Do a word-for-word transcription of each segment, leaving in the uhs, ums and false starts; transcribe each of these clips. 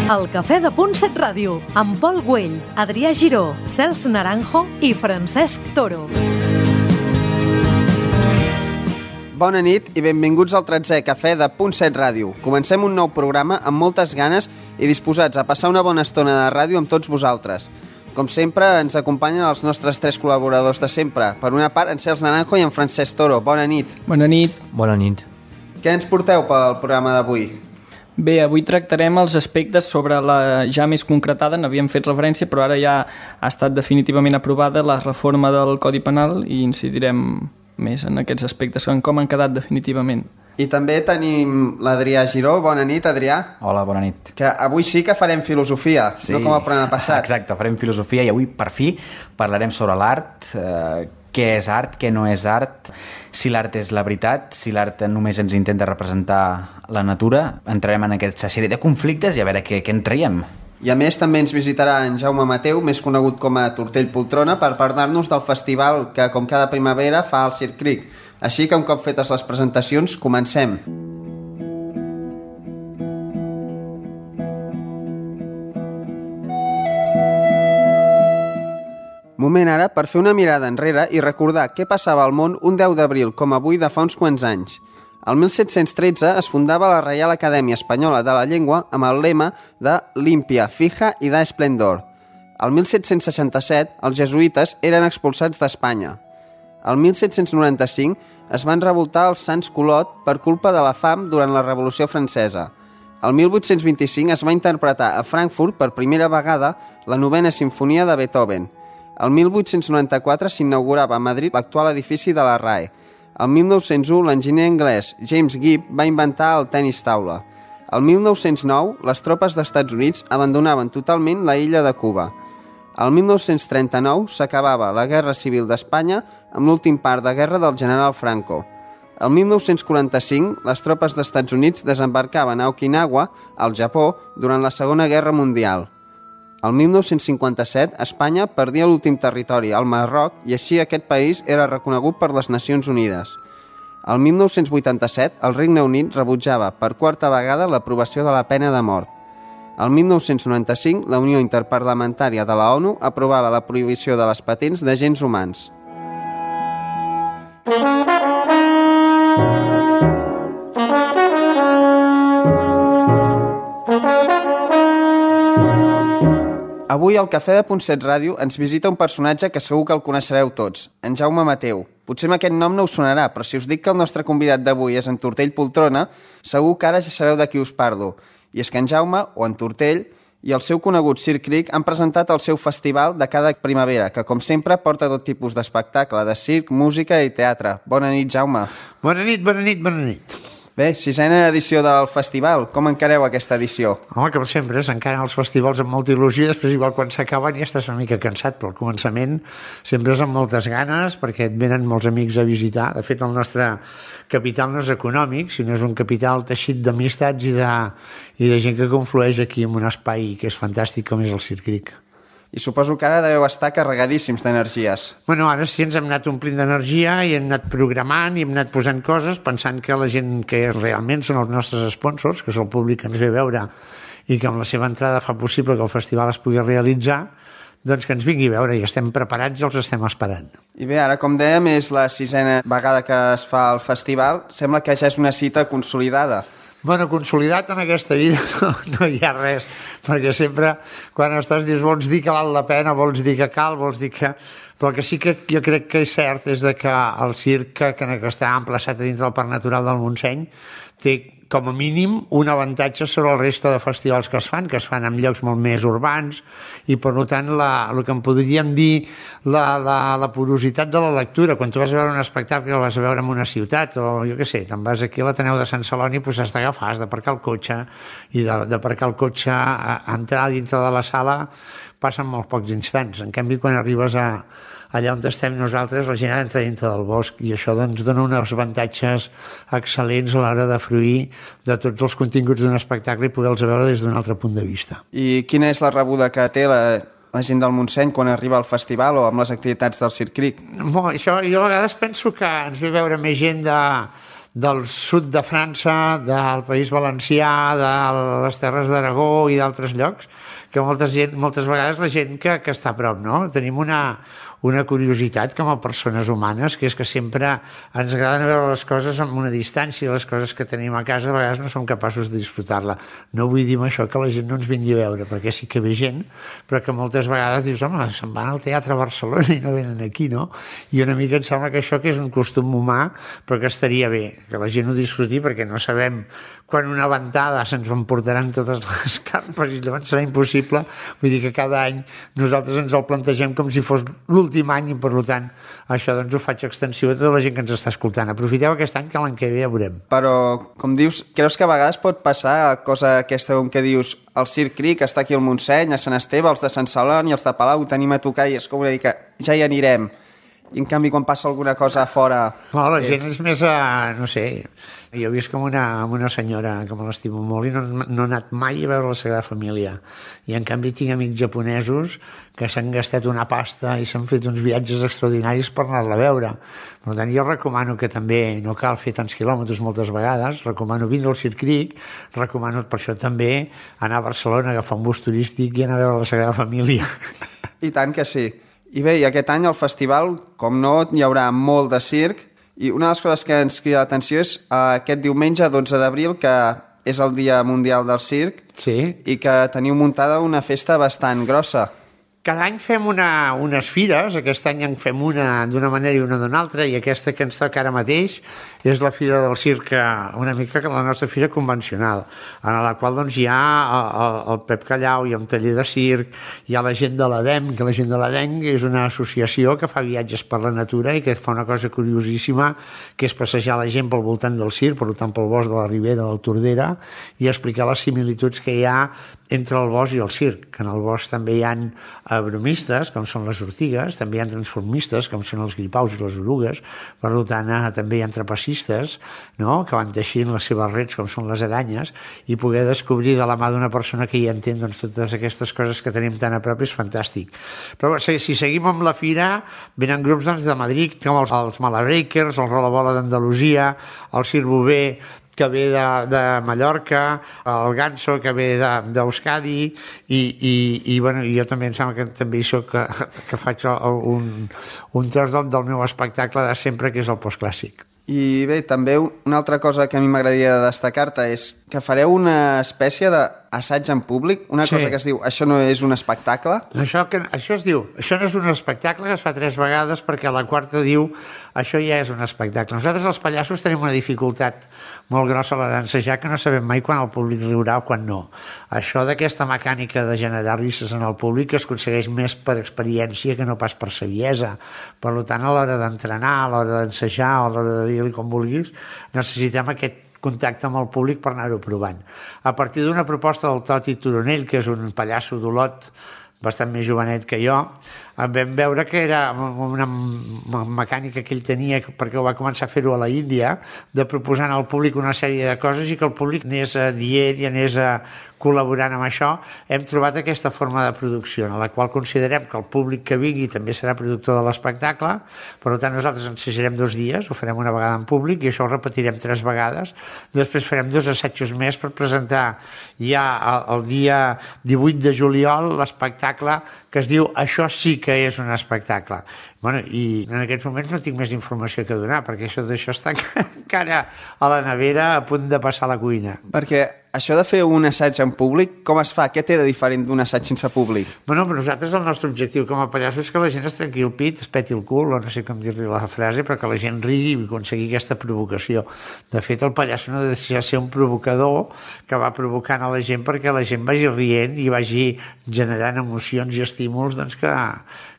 El Cafè de Punt set Ràdio, amb Pol Güell, Adrià Giró, Cels Naranjo i Francesc Toro. Bona nit i benvinguts al tretzè Cafè de Punt set Ràdio. Comencem un nou programa amb moltes ganes i disposats a passar una bona estona de ràdio amb tots vosaltres. Com sempre, ens acompanyen els nostres tres col·laboradors de sempre. Per una part, en Cels Naranjo i en Francesc Toro. Bona nit. Bona nit. Bona nit. Què ens porteu pel programa d'avui? Bé, avui tractarem els aspectes sobre la ja més concretada, n'havíem fet referència, però ara ja ha estat definitivament aprovada la reforma del Codi Penal i incidirem més en aquests aspectes, en com han quedat definitivament. I també tenim l'Adrià Giró. Bona nit, Adrià. Hola, bona nit. Que avui sí que farem filosofia, sí, no com el programa passat. Exacte, farem filosofia i avui, per fi, parlarem sobre l'art, eh, què és art, què no és art, si l'art és la veritat, si l'art només ens intenta representar la natura. Entrarem en aquesta sèrie de conflictes i a veure què, què en traiem. I a més també ens visitarà en Jaume Mateu, més conegut com a Tortell Poltrona, per parlar-nos del festival que, com cada primavera, fa al Circ Cric. Així que, un cop fetes les presentacions, comencem. Moment ara per fer una mirada enrere i recordar què passava al món un deu d'abril, com avui de fa uns quants anys. El mil set-cents tretze es fundava la Reial Acadèmia Espanyola de la Llengua amb el lema de Limpia, Fija i da Esplendor. El mil set-cents seixanta-set, els jesuïtes eren expulsats d'Espanya. El mil set-cents noranta-cinc es van revoltar els Sants Colot per culpa de la fam durant la Revolució Francesa. El mil vuit-cents vint-i-cinc es va interpretar a Frankfurt per primera vegada la novena simfonia de Beethoven. El mil vuit-cents noranta-quatre s'inaugurava a Madrid l'actual edifici de la R A E. El mil nou-cents u l'enginyer anglès James Gibb va inventar el tenis taula. El mil nou-cents nou les tropes d'Estats Units abandonaven totalment la illa de Cuba. El mil nou-cents trenta-nou s'acabava la Guerra Civil d'Espanya amb l'últim part de guerra del general Franco. El mil nou-cents quaranta-cinc les tropes d'Estats Units desembarcaven a Okinawa, al Japó, durant la Segona Guerra Mundial. El mil nou-cents cinquanta-set, Espanya perdia l'últim territori, el Marroc, i així aquest país era reconegut per les Nacions Unides. El mil nou-cents vuitanta-set, el Regne Unit rebutjava per quarta vegada l'aprovació de la pena de mort. El mil nou-cents noranta-cinc, la Unió Interparlamentària de la ONU aprovava la prohibició de les patents d'agents humans. Avui al Cafè de Punt set Ràdio ens visita un personatge que segur que el coneixereu tots, en Jaume Mateu. Potser amb aquest nom no us sonarà, però si us dic que el nostre convidat d'avui és en Tortell Poltrona, segur que ara ja sabeu de qui us parlo. I és que en Jaume, o en Tortell, i el seu conegut Circ Cric han presentat el seu festival de cada primavera, que com sempre porta tot tipus d'espectacle, de circ, música i teatre. Bona nit, Jaume. Bona nit, bona nit, bona nit. Bé, sisena edició del festival. Com encareu aquesta edició? Home, com sempre, s'encaren els festivals amb molta il·lusió, després igual quan s'acaben ja estàs una mica cansat, però al començament sempre és amb moltes ganes perquè et venen molts amics a visitar. De fet, el nostre capital no és econòmic, sinó és un capital teixit d'amistats i de, i de gent que conflueix aquí en un espai que és fantàstic com és el Circ Cric. I suposo que ara deveu estar carregadíssims d'energies. Bueno, ara sí ens hem anat omplint d'energia i hem anat programant i hem anat posant coses pensant que la gent que realment són els nostres sponsors, que és el públic que ens ve a veure i que amb la seva entrada fa possible que el festival es pugui realitzar, doncs que ens vingui a veure i estem preparats i els estem esperant. I bé, ara com dèiem és la sisena vegada que es fa el festival, sembla que ja és una cita consolidada. Bueno, consolidat en aquesta vida no, no hi ha res, perquè sempre quan estàs dius vols dir que val la pena, vols dir que cal, vols dir que... Però el que sí que jo crec que és cert és de que el circ que, que està emplaçat a dins del Parc Natural del Montseny té com a mínim un avantatge sobre el resta de festivals que es fan, que es fan en llocs molt més urbans i per tant la, el que en podríem dir la, la, la porositat de la lectura. Quan tu vas a veure un espectacle el vas a veure en una ciutat o jo què sé, te'n vas aquí a l'Ateneu de Sant Celoni doncs has d'agafar, has d'aparcar el cotxe i d'aparcar el cotxe a entrar dintre de la sala passen molt pocs instants. En canvi, quan arribes a allà on estem nosaltres, la gent entra dintre del bosc i això doncs dona uns avantatges excel·lents a l'hora de fruir de tots els continguts d'un espectacle i poder-los veure des d'un altre punt de vista. I quina és la rebuda que té la, la gent del Montseny quan arriba al festival o amb les activitats del Circ Cric? Bo, això, jo a vegades penso que ens ve veure més gent de, del sud de França, del País Valencià, de les Terres d'Aragó i d'altres llocs, que molta gent, moltes vegades la gent que, que està a prop, no? Tenim una, una curiositat com a persones humanes, que és que sempre ens agraden veure les coses amb una distància, les coses que tenim a casa a vegades no som capaços de disfrutar-la. No vull dir amb això que la gent no ens vingui a veure, perquè sí que ve gent, però que moltes vegades dius, home, se'n van al teatre a Barcelona i no venen aquí, no? I una mica em sembla que això que és un costum humà, però que estaria bé, que la gent ho disfruti, perquè no sabem quan una ventada se'ns emportaran totes les carpes i llavors serà impossible. Vull dir que cada any nosaltres ens el plantegem com si fos l'últim any i per tant això doncs ho faig extensiu a tota la gent que ens està escoltant. Aprofiteu aquest any que l'any que ve ja veurem. Però, com dius, creus que a vegades pot passar cosa aquesta com que dius el Circ Cric està aquí al Montseny, a Sant Esteve, els de Sant Celoni, els de Palau, tenim a tocar i és com una mica, ja hi anirem. I en canvi quan passa alguna cosa a fora... No, la gent és més, a, no sé, jo he vist com una, amb una senyora que me l'estimo molt i no, no he anat mai a veure la Sagrada Família. I en canvi tinc amics japonesos que s'han gastat una pasta i s'han fet uns viatges extraordinaris per anar-la a veure. Per tant, jo recomano que també no cal fer tants quilòmetres moltes vegades, recomano vindre al Circ Cric, recomano per això també anar a Barcelona, agafar un bus turístic i anar a veure la Sagrada Família. I tant que sí. I bé, i aquest any al festival, com no, hi haurà molt de circ, i una de les coses que ens crida l'atenció és uh, aquest diumenge dotze d'abril, que és el Dia Mundial del Circ, sí. I que teniu muntada una festa bastant grossa. Cada any fem una, unes fires, aquest any en fem una d'una manera i una d'una altra, i aquesta que ens toca ara mateix és la Fira del Circ, una mica que la nostra fira convencional, en la qual doncs, hi ha el, el Pep Callau, hi ha un taller de circ, hi ha la gent de l'Edem, que la gent de l'Edem és una associació que fa viatges per la natura i que fa una cosa curiosíssima, que és passejar la gent pel voltant del circ, per tant pel bosc de la Ribera, del Tordera, i explicar les similituds que hi ha entre el bosc i el circ, que en el bosc també hi ha bromistes, com són les ortigues, també hi ha transformistes, com són els gripaus i les orugues, per tant també hi ha trapecistes, no?, que van teixint les seves rets, com són les aranyes, i poder descobrir de la mà d'una persona que hi entén doncs, totes aquestes coses que tenim tan a prop és fantàstic. Però si, si seguim amb la fira, venen grups doncs, de Madrid, com els, els Malabreakers, el Rolabola d'Andalusia, el Circ Bové, que ve de, de Mallorca, el Ganso, que ve d'Euskadi, i, i, i bueno, jo també em sembla que també hi soc, que, que faig un, un tros del, del meu espectacle de sempre, que és el postclàssic. I bé, també una altra cosa que a mi m'agradaria destacar-te és que fareu una espècie d'assaig en públic, una sí. cosa que es diu, això no és un espectacle? Això, que, això es diu, això no és un espectacle, que es fa tres vegades, perquè la quarta diu, això ja és un espectacle. Nosaltres els pallassos tenim una dificultat molt grossa a l'hora d'ensejar, que no sabem mai quan el públic riurà o quan no. Això d'aquesta mecànica de generar risses en el públic es aconsegueix més per experiència que no pas per saviesa. Per tant, a l'hora d'entrenar, a l'hora d'ensejar, a l'hora de dir-li com vulguis, necessitem aquest contacte amb el públic per anar-ho provant. A partir d'una proposta del Toti Turonell, que és un pallasso d'Olot bastant més jovenet que jo, vam veure que era una mecànica que ell tenia, perquè ho va començar a fer-ho a la Índia, de proposar al públic una sèrie de coses i que el públic anés dient i anés col·laborant amb això. Hem trobat aquesta forma de producció, en la qual considerem que el públic que vingui també serà productor de l'espectacle. Per tant, nosaltres ensejarem dos dies, ho farem una vegada en públic i això ho repetirem tres vegades. Després farem dos assajos més per presentar ja el dia divuit de juliol l'espectacle que es diu Això sí que és un espectacle. Bueno, i en aquests moments no tinc més informació que donar, perquè això d'això està encara a la nevera a punt de passar a la cuina. Perquè això de fer un assaig en públic, com es fa? Què té de diferent d'un assaig sense públic? Bueno, però nosaltres el nostre objectiu com a pallassos és que la gent es trenqui el pit, es peti el cul, o no sé com dir-li la frase, però que la gent rigui i aconseguir aquesta provocació. De fet, el pallasso no deixa de ser un provocador que va provocant a la gent perquè la gent vagi rient i vagi generant emocions i estímuls doncs, que,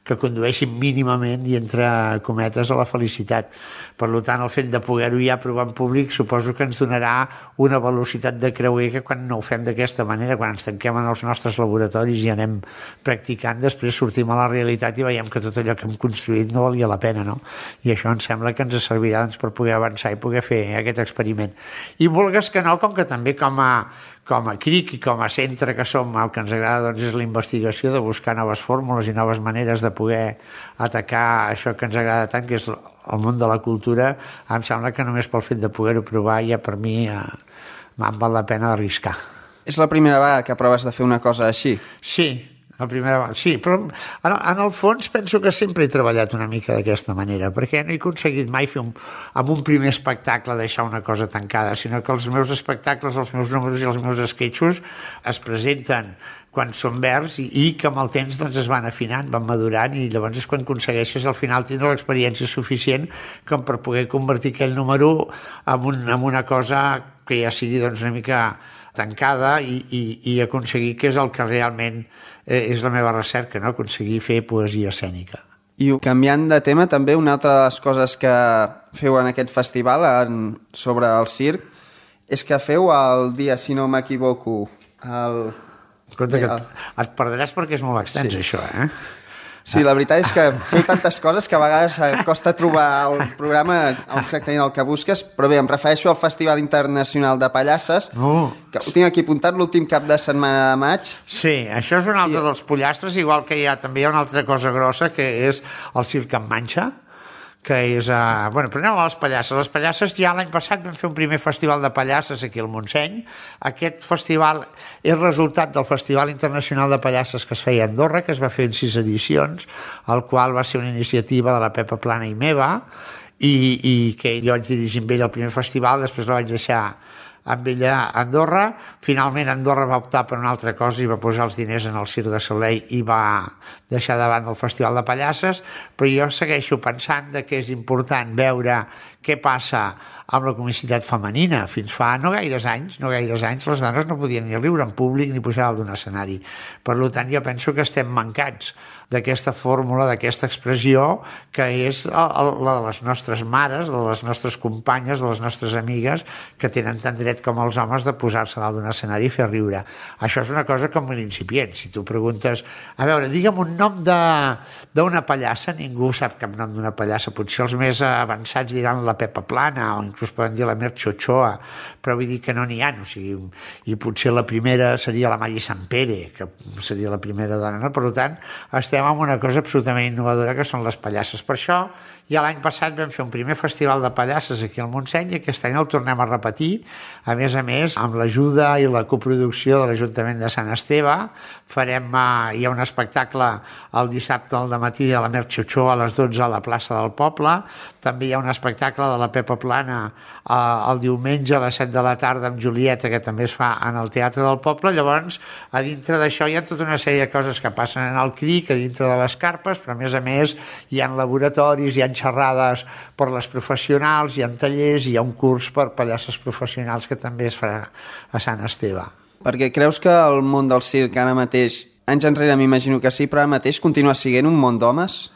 que condueixin mínimament i entre cometes a la felicitat. Per tant, el fet de poder-ho ja provar en públic suposo que ens donarà una velocitat de creuer que quan no ho fem d'aquesta manera, quan ens tanquem en els nostres laboratoris i anem practicant, després sortim a la realitat i veiem que tot allò que hem construït no valia la pena, no? I això em sembla que ens servirà doncs, per poder avançar i poder fer aquest experiment. I vulgues que no, com que també com a com a CRIC i com a centre que som, el que ens agrada doncs, és la investigació de buscar noves fórmules i noves maneres de poder atacar això que ens agrada tant, que és el món de la cultura. Em sembla que només pel fet de poder-ho provar ja per mi eh, em val la pena arriscar. És la primera vegada que proves de fer una cosa així? Sí, la primera, sí, però en, en el fons penso que sempre he treballat una mica d'aquesta manera, perquè no he aconseguit mai fer un, amb un primer espectacle deixar una cosa tancada, sinó que els meus espectacles, els meus números i els meus esquetxos es presenten quan són verds i, i que amb el temps doncs, es van afinant, van madurant, i llavors és quan aconsegueixes al final tindre l'experiència suficient com per poder convertir aquell número en, un, en una cosa que ja sigui doncs, una mica tancada i, i, i aconseguir que és el que realment eh, és la meva recerca, no? Aconseguir fer poesia escènica. I canviant de tema, també una altra de les coses que feu en aquest festival en, sobre el circ és que feu el dia, si no m'equivoco, el... Compte que et, et perdràs perquè és molt extens, sí. Això, eh? Sí, la veritat és que feu tantes coses que a vegades costa trobar el programa exactament el que busques, però bé, em refereixo al Festival Internacional de Pallasses, oh. que ho tinc aquí apuntat l'últim cap de setmana de maig. Sí, això és un altre I... dels pollastres, igual que hi ha també hi ha una altra cosa grossa, que és el circ en manxa, que és... Uh, bueno, però anem a les Pallasses. Les Pallasses ja l'any passat vam fer un primer festival de Pallasses aquí al Montseny. Aquest festival és resultat del Festival Internacional de Pallasses que es feia a Andorra, que es va fer en sis edicions, el qual va ser una iniciativa de la Pepa Plana i meva, i, i que jo vaig dirigir amb ell el primer festival, després la vaig deixar amb ella a Andorra. Finalment Andorra va optar per una altra cosa i va posar els diners en el Circ de Soleil i va deixar davant el Festival de Pallasses, però jo segueixo pensant que és important veure què passa amb la comicitat femenina. Fins fa no gaires anys, no gaires anys, les dones no podien ni riure en públic ni pujar d'un escenari. Per tant, jo penso que estem mancats d'aquesta fórmula, d'aquesta expressió, que és la de les nostres mares, de les nostres companyes, de les nostres amigues, que tenen tant dret com els homes de posar-se dalt d'un escenari i fer riure. Això és una cosa com un incipient. Si tu preguntes, a veure, digue'm un nom d'una pallassa, ningú sap cap nom d'una pallassa. Potser els més avançats diran la Pepa Plana o inclús poden dir la Merche Ochoa, però vull dir que no n'hi ha. O sigui, i potser la primera seria la Mari Sampere, que seria la primera dona. No? Per tant, estem amb una cosa absolutament innovadora que són les pallasses. Per això, ja l'any passat vam fer un primer festival de pallasses aquí al Montseny i aquest any el tornem a repetir, a més a més, amb l'ajuda i la coproducció de l'Ajuntament de Sant Esteve. Farem, eh, hi ha un espectacle el dissabte al dematí a la Merche Ochoa a les dotze a la plaça del Poble. També hi ha un espectacle de la Pepa Plana eh, el diumenge a les set de la tarda amb Julieta, que també es fa en el Teatre del Poble. Llavors, a dintre d'això hi ha tota una sèrie de coses que passen en el CRIC, a dintre de les carpes, però a més a més hi ha laboratoris, hi ha xerrades per les professionals, hi ha tallers, hi ha un curs per pallasses professionals que també es farà a Sant Esteve. Perquè creus que el món del circ ara mateix, anys enrere m'imagino que sí, però ara mateix continua sent un món d'homes?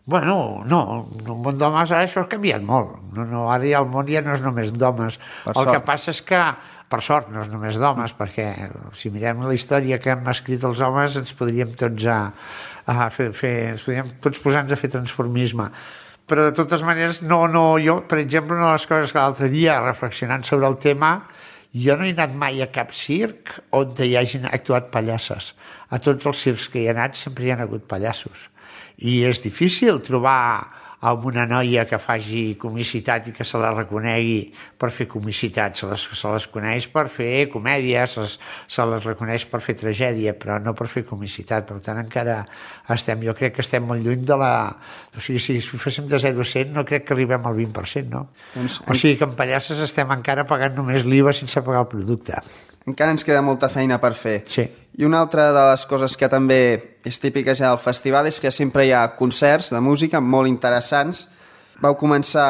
Bueno, no, el món d'homes ara això ha canviat molt. No, no, ara ja el món ja no és només d'homes. El sort. Que passa és que, per sort, no és només d'homes, perquè si mirem la història que hem escrit els homes ens podríem tots, a, a fer, fer, ens podríem tots posar-nos a fer transformisme. Però de totes maneres, no, no, jo, per exemple, una de les coses que l'altre dia, reflexionant sobre el tema, jo no he anat mai a cap circ on hi hagin actuat pallasses. A tots els circs que hi he anat sempre hi ha hagut pallassos. I és difícil trobar amb una noia que faci comicitat i que se la reconegui per fer comicitat. Se les, se les coneix per fer comèdia, se les, se les reconeix per fer tragèdia, però no per fer comicitat. Per tant, encara estem, jo crec que estem molt lluny de la... O sigui, si féssim de zero a cent, no crec que arribem al vint per cent, no? Doncs, o sigui que en pallasses estem encara pagant només l'I V A sense pagar el producte. Encara ens queda molta feina per fer. Sí. I una altra de les coses que també és típica ja del festival és que sempre hi ha concerts de música molt interessants. Vau començar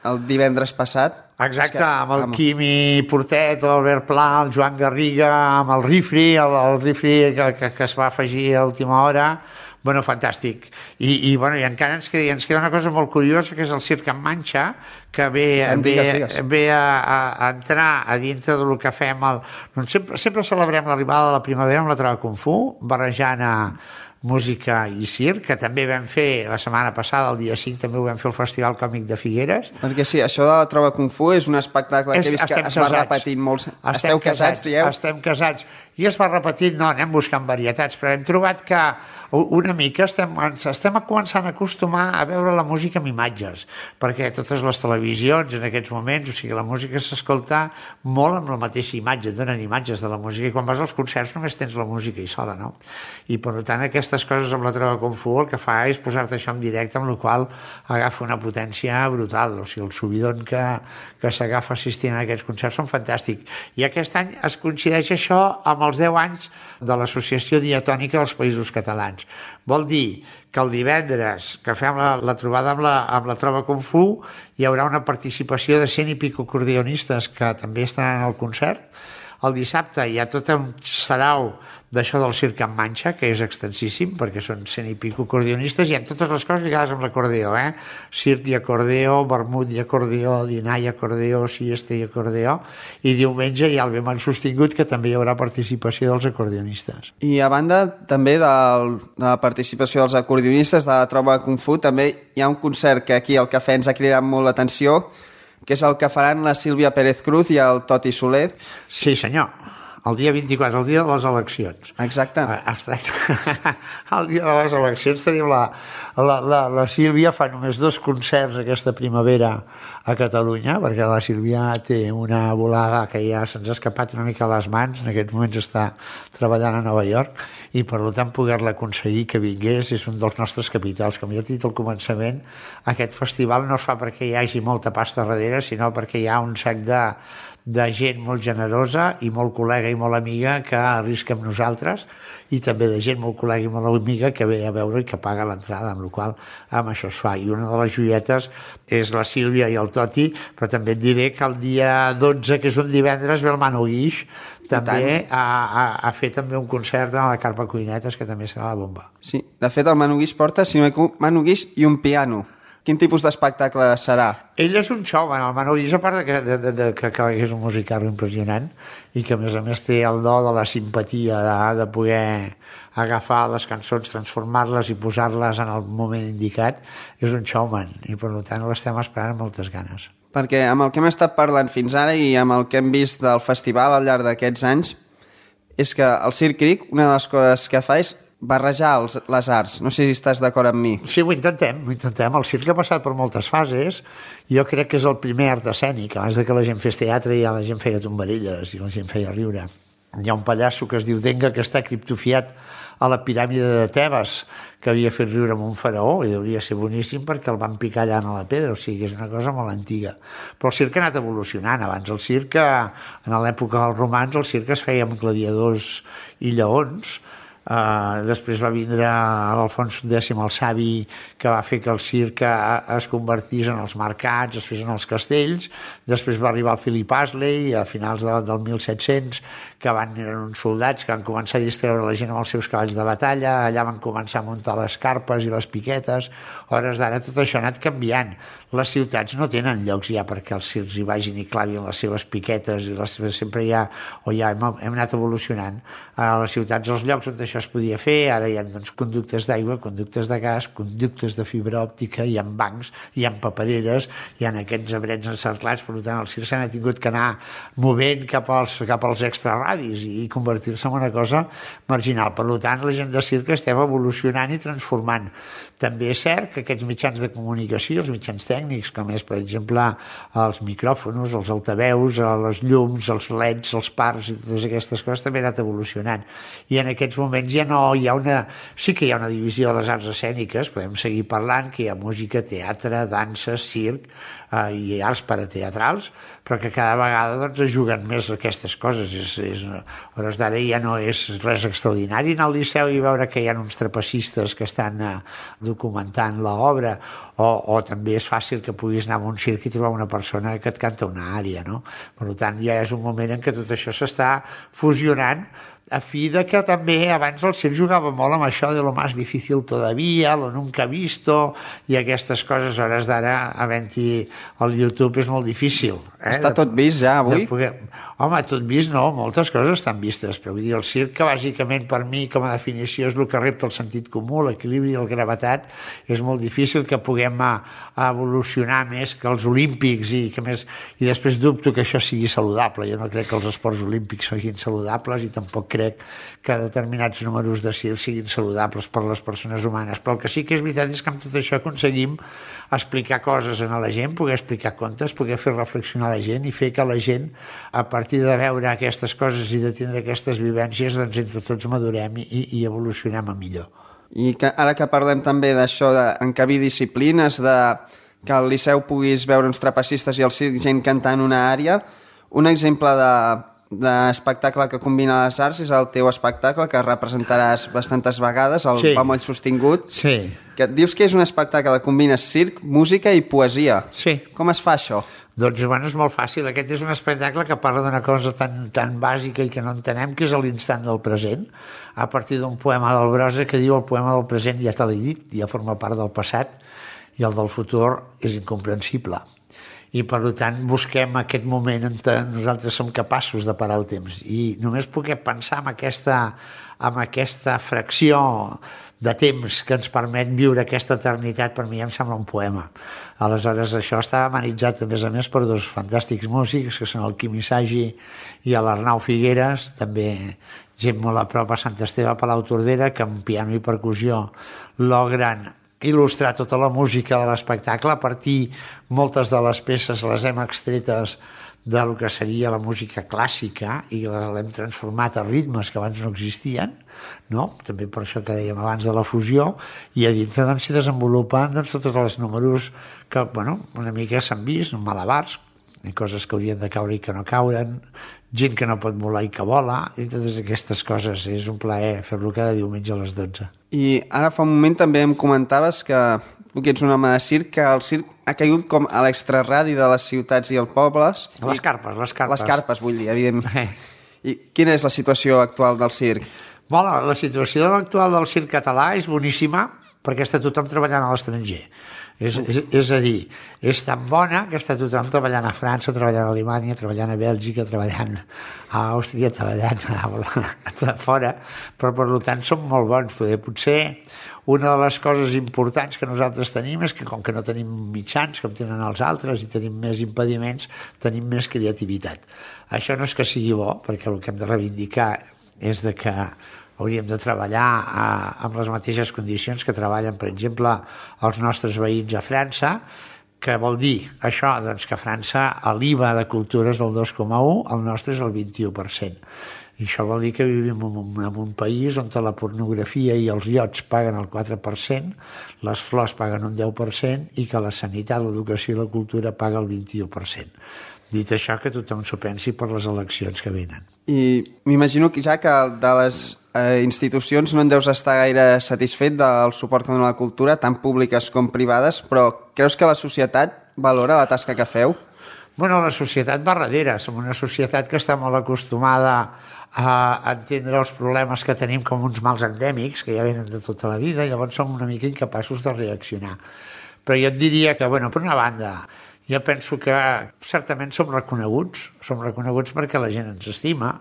el divendres passat. Exacte, amb el Quimi Portet, l'Albert Pla, el Joan Garriga, amb el Rifri, el, el Rifri que, que, que es va afegir a última hora. Bueno, fantàstic. I, i, bueno, i encara ens queda, ens queda una cosa molt curiosa, que és el Circ en Manxa, que ve, ve, ve a, a entrar a dintre del que fem. El, doncs sempre, sempre celebrem l'arribada de la primavera amb la trova Kung Fu, barrejant a, música i circ, que també vam fer la setmana passada, el dia cinc, també ho vam fer al Festival Còmic de Figueres. Perquè sí, això de la Trova Kung Fu és un espectacle que he vist que es va repetint molt. Esteu casats, dieu? Estem casats. I es va repetint, no, anem buscant varietats, però hem trobat que una mica estem, estem començant a acostumar a veure la música amb imatges, perquè totes les televisions en aquests moments, o sigui, la música s'escolta molt amb la mateixa imatge, donen imatges de la música, i quan vas als concerts només tens la música i sola, no? I per tant aquestes coses amb la Trova Kung Fu el que fa és posar-te això en directe, amb la qual agafa una potència brutal, o sigui, el subidon que, que s'agafa assistint a aquests concerts són fantàstics. I aquest any es coincideix això amb els deu anys de l'Associació Diatònica dels Països Catalans. Vol dir que el divendres que fem la, la trobada amb la, amb la Trova Kung Fu hi haurà una participació de cent i pico acordeonistes que també estaran al concert. El dissabte hi ha tot un sarau d'això del circ en manxa, que és extensíssim, perquè són cent i pico acordionistes, i en totes les coses lligades amb l'acordeó, eh? Circ i acordeó, vermut i acordeó, dinar i acordeó, siesta i acordeó, i diumenge hi ha el ben sostingut, que també hi haurà participació dels acordionistes. I a banda també del, de la participació dels acordionistes de la Trova Kung Fu, també hi ha un concert que aquí al Cafè ens ha cridat molt l'atenció, que és el que faran la Sílvia Pérez Cruz i el Toti Soler. Sí, senyor. El dia vint-i-quatre, el dia de les eleccions. Exacte. Exacte. El dia de les eleccions tenim la, la, la, la Sílvia fa només dos concerts aquesta primavera a Catalunya, perquè la Sílvia té una volada que ja se'ns ha escapat una mica a les mans, en aquests moments està treballant a Nova York, i per tant poder-la aconseguir que vingués és un dels nostres capitals. Com ja he dit al començament, aquest festival no es fa perquè hi hagi molta pasta darrere, sinó perquè hi ha un sac de de gent molt generosa i molt col·lega i molt amiga que arrisca amb nosaltres, i també de gent molt col·lega i molt amiga que ve a veure i que paga l'entrada, amb la qual amb això es fa. I una de les joietes és la Sílvia i el Toti, però també et diré que el dia dotze, que és un divendres, ve el Manu Guix també a, a, a fer també un concert a la Carpa Cuinetes, que també serà la bomba. Sí, de fet el Manu Guix porta, si no hi ha Manu Guix i un piano. Quin tipus d'espectacle serà? Ell és un showman, el Manu Guix, a part de que, de, de, de, que, que és un musical impressionant i que a més a més té el do de la simpatia, de, de poder agafar les cançons, transformar-les i posar-les en el moment indicat, és un showman i per tant l'estem esperant amb moltes ganes. Perquè amb el que hem estat parlant fins ara i amb el que hem vist del festival al llarg d'aquests anys és que el Circ Cric, una de les coses que fa és barrejar els, les arts. No sé si estàs d'acord amb mi. Sí, ho intentem, ho intentem. El circ ha passat per moltes fases. Jo crec que és el primer art escènic. Abans de que la gent fes teatre ja la gent feia tombarelles i la gent feia riure. Hi ha un pallasso que es diu Denga que està criptofiat a la piràmide de Tebes, que havia fet riure amb un faraó, i hauria ser boníssim perquè el van picar allà a la pedra, o sigui, és una cosa molt antiga. Però el circ ha anat evolucionant. Abans el circ, en l'època dels romans, el circ es feia amb gladiadors i lleons. Uh, després va vindre l'Alfons X el Savi, que va fer que el circ es convertís en els mercats, es fes en els castells. Després va arribar el Philip Astley a finals de, del mil set-cents, que van, eren uns soldats que van començar a distreure la gent amb els seus cavalls de batalla. Allà van començar a muntar les carpes i les piquetes. A hores d'ara tot això ha anat canviant. Les ciutats no tenen llocs ja perquè els circs hi vagin i clavin les seves piquetes, i les seves, sempre hi ha, o ja hem, hem anat evolucionant. A les ciutats, els llocs on això es podia fer, ara hi ha doncs, conductes d'aigua, conductes de gas, conductes de fibra òptica, hi ha bancs, hi ha papereres, hi ha aquests abrets encerclats, per tant el circ s'ha tingut que anar movent cap als, cap als extraradis i convertir-se en una cosa marginal. Per tant, la gent de circ estem evolucionant i transformant. També és cert que aquests mitjans de comunicació, els mitjans tècnics, com és, per exemple, els micròfons, els altaveus, les llums, els leds, els parcs i totes aquestes coses també han anat evolucionant. I en aquests moments ja no hi ha una... Sí que hi ha una divisió de les arts escèniques, podem seguir parlant, que hi ha música, teatre, dansa, circ eh, i arts parateatrals, però que cada vegada doncs, es juguen més aquestes coses. És, és, a hores d'ara ja no és res extraordinari anar al Liceu i veure que hi ha uns trapecistes que estan eh, documentant l'obra, o, o també és fàcil que puguis anar a un circ i trobar una persona que et canta una ària, no? Per tant, ja és un moment en què tot això s'està fusionant a fi de que també abans el circ jugava molt amb això de lo más difícil todavía, lo nunca visto i aquestes coses. A hores d'ara, havent-hi el YouTube és molt difícil. Eh? Està tot vist ja avui? Poder... Home, tot vist no, moltes coses estan vistes, però vull dir, el circ, que bàsicament per mi com a definició és el que repta el sentit comú, l'equilibri i el gravetat, és molt difícil que puguem a, a evolucionar més que els olímpics i que més... I després dubto que això sigui saludable. Jo no crec que els esports olímpics siguin saludables i tampoc crec que determinats números de circ siguin saludables per les persones humanes, però el que sí que és veritat és que amb tot això aconseguim explicar coses a la gent, poder explicar contes, poder fer reflexionar la gent i fer que la gent, a partir de veure aquestes coses i de tindre aquestes vivències, doncs entre tots madurem i, i evolucionem a millor. I que, ara que parlem també d'això d'encabir disciplines, de que al Liceu puguis veure uns trapecistes i al circ gent cantant una ària, un exemple de d'espectacle que combina les arts és el teu espectacle, que representaràs bastantes vegades, el sí. Pa moll sostingut. Sí. Que dius que és un espectacle que combina circ, música i poesia. Sí. Com es fa això? Doncs, bueno, és molt fàcil. Aquest és un espectacle que parla d'una cosa tan, tan bàsica i que no entenem, que és l'instant del present, a partir d'un poema del Brossa que diu: el poema del present ja te l'he dit, ja forma part del passat, i el del futur és incomprensible. I per tant busquem aquest moment en què nosaltres som capaços de parar el temps i només poder pensar en aquesta, en aquesta fracció de temps que ens permet viure aquesta eternitat, per mi em sembla un poema. Aleshores això està amenitzat a més a més per dos fantàstics músics que són el Quim Isagi i l'Arnau Figueres, també gent molt a prop a Sant Esteve Palau Tordera, que amb piano i percussió logren il·lustrar tota la música de l'espectacle. A partir, moltes de les peces les hem extretes del que seria la música clàssica i l'hem transformat a ritmes que abans no existien, no? També per això que dèiem abans de la fusió, i a dintre doncs, s'hi desenvolupen doncs, tots els números que, bueno, una mica s'han vist, malabars, i coses que haurien de caure i que no cauen, gent que no pot volar i que vola, i totes aquestes coses. És un plaer fer-lo cada diumenge a les dotze. I ara fa un moment també em comentaves que tu que ets un home de circ, que el circ ha caigut com a l'extraradi de les ciutats i els pobles. Les carpes, les carpes. Les carpes, vull dir, evidentment. Eh. I quina és la situació actual del circ? Bueno, la situació actual del circ català és boníssima perquè està tothom treballant a l'estranger. És, és, és a dir, és tan bona que està tothom treballant a França, treballant a Alemanya, treballant a Bèlgica, treballant a Àustria, treballant a, a fora, però per tant som molt bons. Poder, potser una de les coses importants que nosaltres tenim és que com que no tenim mitjans com tenen els altres i tenim més impediments, tenim més creativitat. Això no és que sigui bo, perquè el que hem de reivindicar és de que hauríem de treballar a, amb les mateixes condicions que treballen, per exemple, els nostres veïns a França, que vol dir això, doncs, que a França l'I V A de cultura és del dos coma u, el nostre és el vint-i-u per cent. I això vol dir que vivim en un, en un país on la pornografia i els iots paguen el quatre per cent, les flors paguen un deu per cent i que la sanitat, l'educació i la cultura paga el vint-i-u per cent. Dit això, que tothom s'ho pensi per les eleccions que venen. I m'imagino que ja que de les eh, institucions no en deus estar gaire satisfet del suport que dona la cultura, tant públiques com privades, però creus que la societat valora la tasca que feu? Bueno, la societat va darrere. Som una societat que està molt acostumada a entendre els problemes que tenim com uns mals endèmics, que ja venen de tota la vida, i llavors som una mica incapaços de reaccionar. Però jo et diria que, bueno, per una banda, jo penso que certament som reconeguts, som reconeguts perquè la gent ens estima,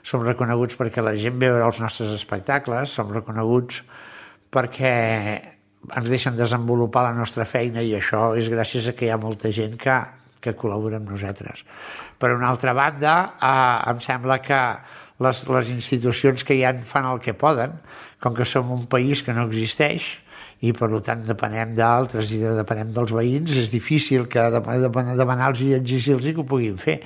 som reconeguts perquè la gent ve a veure els nostres espectacles, som reconeguts perquè ens deixen desenvolupar la nostra feina i això és gràcies a que hi ha molta gent que, que col·labora amb nosaltres. Per una altra banda, eh, em sembla que les, les institucions que ja fan el que poden, com que som un país que no existeix, i per tant depenem d'altres i depenem dels veïns, és difícil que demanar-los i exigir-los que ho puguin fer.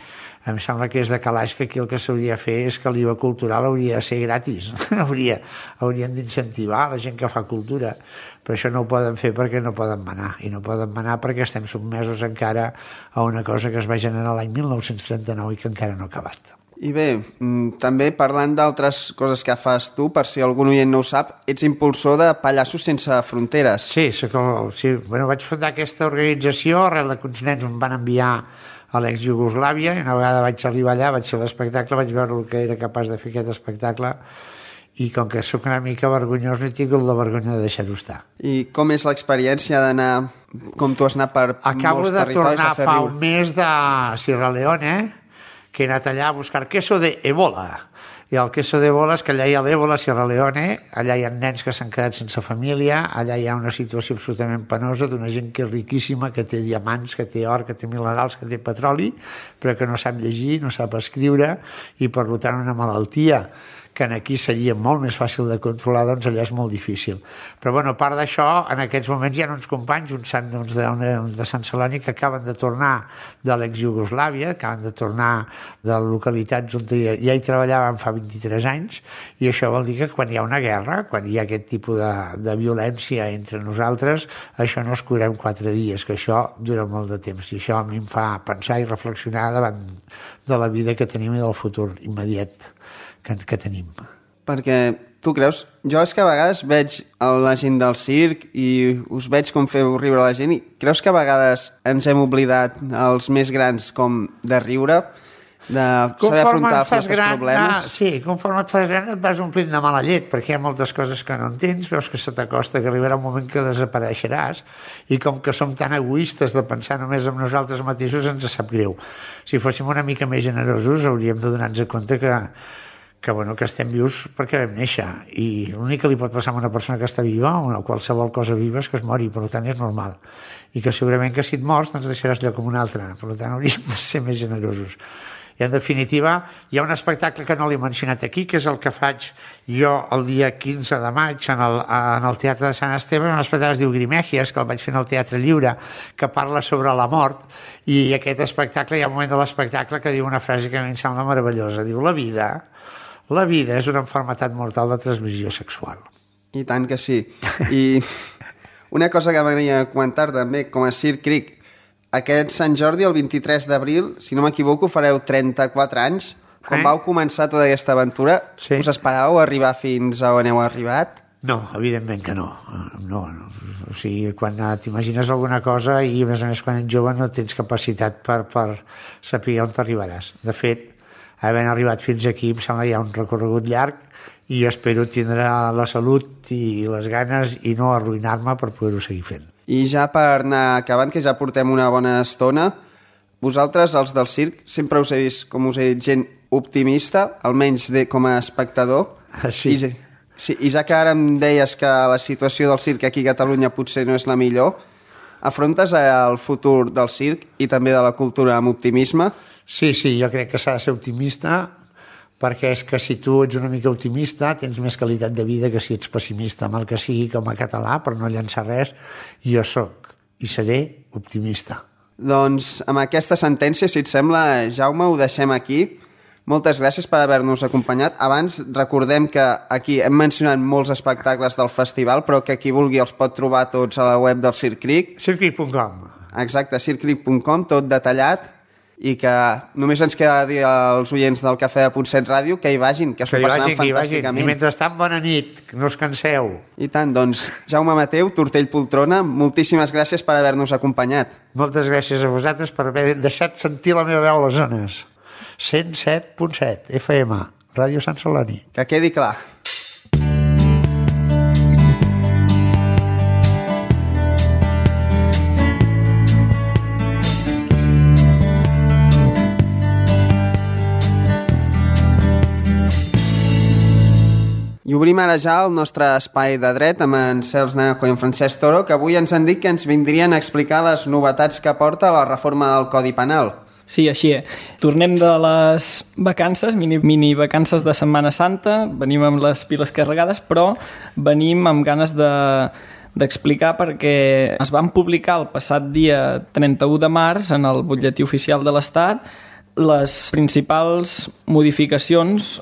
Em sembla que és de calaix que aquí el que s'hauria de fer és que l'I V A cultural hauria de ser gratis, hauria, haurien d'incentivar la gent que fa cultura, però això no ho poden fer perquè no poden manar, i no poden manar perquè estem sotmesos encara a una cosa que es va generar l'any mil nou-cents trenta-nou i que encara no ha acabat. I bé, també parlant d'altres coses que fas tu, per si algun oient no ho sap, ets impulsor de Pallassos Sense Fronteres. Sí, soc el, sí. Bueno, vaig fundar aquesta organització arrel de que uns nens em van enviar a l'ex-Jugoslàvia, i una vegada vaig arribar allà, vaig fer l'espectacle, vaig veure el que era capaç de fer aquest espectacle, i com que sóc una mica vergonyós, no he tingut la vergonya de deixar-ho estar. I com és l'experiència d'anar, com tu has anat per Acabo molts de territoris tornar a fer fa riure? un mes de Sierra Leone, que he anat allà a buscar queso de Ebola. I el queso d'Ebola és que allà hi ha l'Ebola a Sierra Leone, allà hi ha nens que s'han quedat sense família, allà hi ha una situació absolutament penosa d'una gent que és riquíssima, que té diamants, que té or, que té minerals, que té petroli, però que no sap llegir, no sap escriure, i per tant una malaltia que aquí seria molt més fàcil de controlar, doncs allà és molt difícil. Però, bueno, a part d'això, en aquests moments hi ha uns companys, uns, doncs, de, uns de Sant Celoni, que acaben de tornar de l'ex-Jugoslàvia, acaben de tornar de localitats on ja, ja hi treballaven fa vint-i-tres anys, i això vol dir que quan hi ha una guerra, quan hi ha aquest tipus de, de violència entre nosaltres, això no es cura en quatre dies, que això dura molt de temps, i això a mi em fa pensar i reflexionar davant de la vida que tenim i del futur immediat que, que tenim. Perquè tu creus... Jo és que a vegades veig la gent del circ i us veig com feu riure la gent i creus que a vegades ens hem oblidat els més grans com de riure, de saber afrontar els nostres gran, problemes? Ah, sí, conforme et fas gran et vas omplint de mala llet, perquè hi ha moltes coses que no entens, veus que se t'acosta, que arribarà un moment que desapareixeràs, i com que som tan egoistes de pensar només en nosaltres mateixos, ens sap greu. Si fóssim una mica més generosos hauríem de donar-nos compte que que, bueno, que estem vius perquè vam néixer, i l'únic que li pot passar a una persona que està viva o a qualsevol cosa viva és que es mori, per tant és normal, i que segurament que si et mors doncs deixaràs lloc com un altre, per tant hauríem de ser més generosos. I en definitiva hi ha un espectacle que no l'he mencionat aquí, que és el que faig jo el dia quinze de maig en el, en el Teatre de Sant Esteve, un espectacle que es diu Grimegias, que el vaig fer en el Teatre Lliure, que parla sobre la mort, i aquest espectacle, hi ha un moment de l'espectacle que diu una frase que a mi em sembla meravellosa, diu: la vida La vida és una malaltia mortal de transmissió sexual. I tant que sí. I una cosa que m'agradaria comentar també, com a Circ Cric, aquest Sant Jordi, el vint-i-tres d'abril, si no m'equivoco, fareu trenta-quatre anys. Quan eh? vau començar tota aquesta aventura, sí. us esperàveu arribar fins a on heu arribat? No, evidentment que no. No, no. O sigui, quan t'imagines alguna cosa i, a més a més, quan ets jove no tens capacitat per, per saber on t'arribaràs. De fet, havent arribat fins aquí em sembla que hi ha un recorregut llarg i espero tindre la salut i les ganes i no arruïnar-me per poder-ho seguir fent. I ja per anar acabant, que ja portem una bona estona, vosaltres, els del circ, sempre us he vist, com us he dit, gent optimista, almenys de, com a espectador. Ah, sí. I, sí. I ja que ara em deies que la situació del circ aquí a Catalunya potser no és la millor, afrontes el futur del circ i també de la cultura amb optimisme? Sí, sí, jo crec que s'ha de ser optimista, perquè és que si tu ets una mica optimista tens més qualitat de vida que si ets pessimista, amb el que sigui com a català, per no llançar res, i jo sóc i seré optimista. Doncs amb aquesta sentència, si et sembla, Jaume, ho deixem aquí. Moltes gràcies per haver-nos acompanyat. Abans recordem que aquí hem mencionat molts espectacles del festival, però que qui vulgui els pot trobar tots a la web del Circ Cric. circ cric punt com. Exacte, circ cric punt com, tot detallat, i que només ens queda dir als oients del Cafè de Punt set Ràdio que hi vagin, que s'ho passaran fantàsticament. I mentrestant, bona nit, no us canseu. I tant, doncs, Jaume Mateu, Tortell Poltrona, moltíssimes gràcies per haver-nos acompanyat. Moltes gràcies a vosaltres per haver deixat sentir la meva veu a les zones. cent set punt set F M, Ràdio Sant Celoni. Que quedi clar. I obrim ara ja el nostre espai de dret amb en Cels Naranjo i en Francesc Toro, que avui ens han dit que ens vindrien a explicar les novetats que porta la reforma del Codi Penal. Sí, així és. Tornem de les vacances, mini, mini vacances de Setmana Santa, venim amb les piles carregades, però venim amb ganes de d'explicar perquè es van publicar el passat dia trenta-u de març en el butlletí oficial de l'Estat les principals modificacions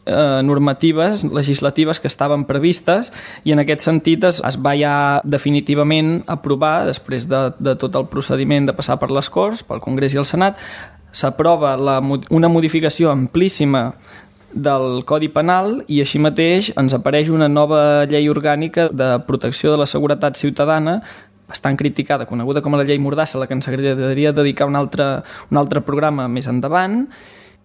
Eh, normatives, legislatives que estaven previstes, i en aquest sentit es, es va ja definitivament aprovar, després de, de tot el procediment de passar per les Corts, pel Congrés i el Senat, s'aprova la, una modificació amplíssima del Codi Penal, i així mateix ens apareix una nova llei orgànica de protecció de la seguretat ciutadana bastant criticada, coneguda com a la llei Mordassa, a la que ens agradaria dedicar un altre, un altre programa més endavant.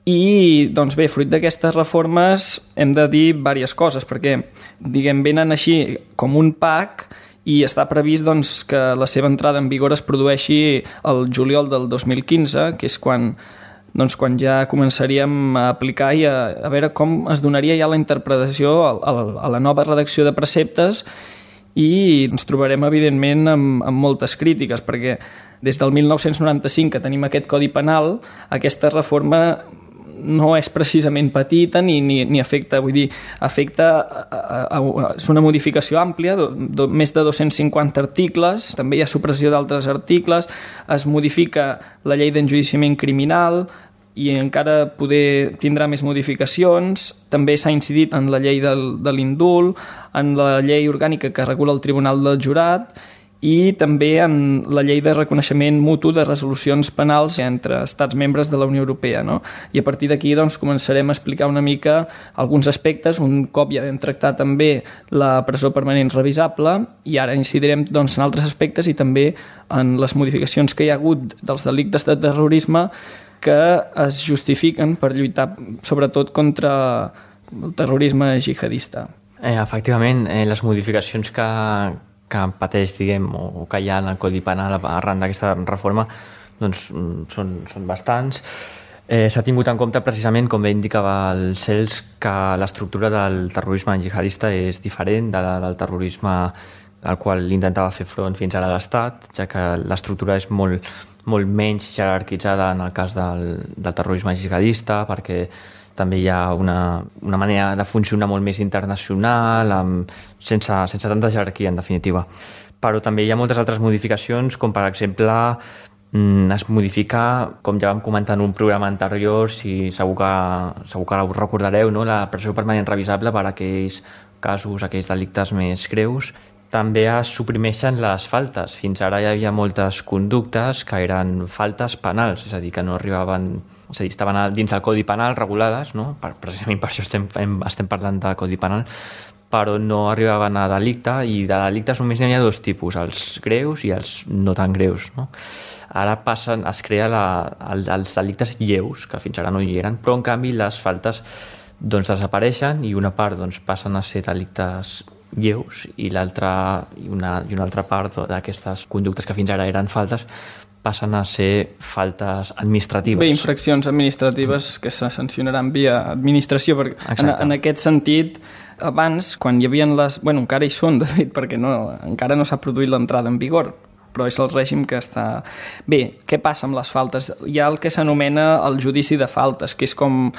I, doncs bé, fruit d'aquestes reformes hem de dir diverses coses, perquè, diguem, venen així com un pack i està previst doncs, que la seva entrada en vigor es produeixi el juliol del dos mil quinze, que és quan, doncs, quan ja començaríem a aplicar i a, a veure com es donaria ja la interpretació a, a, a la nova redacció de preceptes, i ens trobarem, evidentment, amb, amb moltes crítiques, perquè des del mil nou-cents noranta-cinc que tenim aquest Codi Penal, aquesta reforma no és precisament petita ni, ni, ni afecta, vull dir, afecta a, a, a, és una modificació àmplia, do, do, més de dos-cents cinquanta articles, també hi ha supressió d'altres articles, es modifica la llei d'enjudiciament criminal i encara poder tindrà més modificacions. També s'ha incidit en la llei del, de l'indult, en la llei orgànica que regula el Tribunal del Jurat i també en la llei de reconeixement mutu de resolucions penals entre estats membres de la Unió Europea, no? I a partir d'aquí doncs, començarem a explicar una mica alguns aspectes, un cop ja hem tractat també la presó permanent revisable, i ara incidirem doncs, en altres aspectes i també en les modificacions que hi ha hagut dels delictes de terrorisme que es justifiquen per lluitar sobretot contra el terrorisme jihadista. Eh, efectivament, eh, les modificacions que, que pateix, diguem, o que hi ha en el Codi Penal arran d'aquesta reforma, doncs són, són bastants. Eh, S'ha tingut en compte precisament, com bé indicava el Cels, que l'estructura del terrorisme jihadista és diferent de la del terrorisme al qual intentava fer front fins ara l'Estat, ja que l'estructura és molt, molt menys jerarquitzada en el cas del, del terrorisme jihadista, perquè també hi ha una, una manera de funcionar molt més internacional, amb, sense, sense tanta jerarquia, en definitiva. Però també hi ha moltes altres modificacions, com per exemple es modifica, com ja vam comentar en un programa anterior, si segur que, segur que ho recordareu, no? La presó permanent revisable per a aquells casos, aquells delictes més greus. També es suprimeixen les faltes. Fins ara hi havia moltes conductes que eren faltes penals, és a dir, que no arribaven... És a dir, estaven dins del Codi Penal regulades, no? Per, precisament per això estem, estem parlant de Codi Penal, però no arribaven a delicte, i de delictes només n'hi ha dos tipus, els greus i els no tan greus, no? Ara passen, es crea la, els, els delictes lleus, que fins ara no hi eren, però en canvi les faltes doncs, desapareixen i una part doncs, passen a ser delictes lleus i l'altra i una, i una altra part d'aquestes conductes que fins ara eren faltes passen a ser faltes administratives. Bé, infraccions administratives que se sancionaran via administració, perquè en, en aquest sentit, abans, quan hi havia les... Bueno, encara hi són, de fet, perquè no, encara no s'ha produït l'entrada en vigor, però és el règim que està... Bé, què passa amb les faltes? Hi ha el que s'anomena el judici de faltes, que és com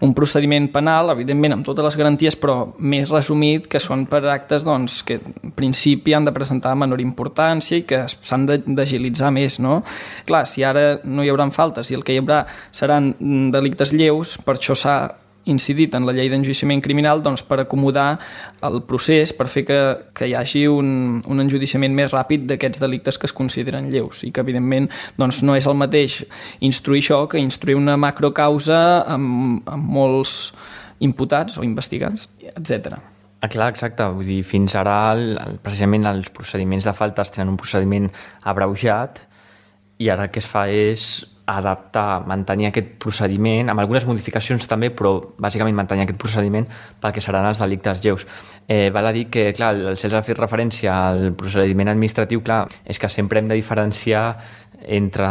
un procediment penal, evidentment amb totes les garanties, però més resumit, que són per actes doncs, que en principi han de presentar menor importància i que s'han d'agilitzar més, no? Clar, si ara no hi haurà faltes i el que hi haurà seran delictes lleus, per això s'ha incidit en la llei d'enjudiciament criminal doncs, per acomodar el procés, per fer que, que hi hagi un, un enjudiciament més ràpid d'aquests delictes que es consideren lleus i que evidentment doncs, no és el mateix instruir això que instruir una macrocausa amb, amb molts imputats o investigats, etcètera. Ah, clar, exacte. Vull dir, fins ara el, precisament els procediments de faltes tenen un procediment abreujat i ara el que es fa és adaptar, mantenir aquest procediment, amb algunes modificacions també, però bàsicament mantenir aquest procediment pel que seran els delictes lleus. Eh, val a dir que, clar, el César ha fet referència al procediment administratiu, clar, és que sempre hem de diferenciar entre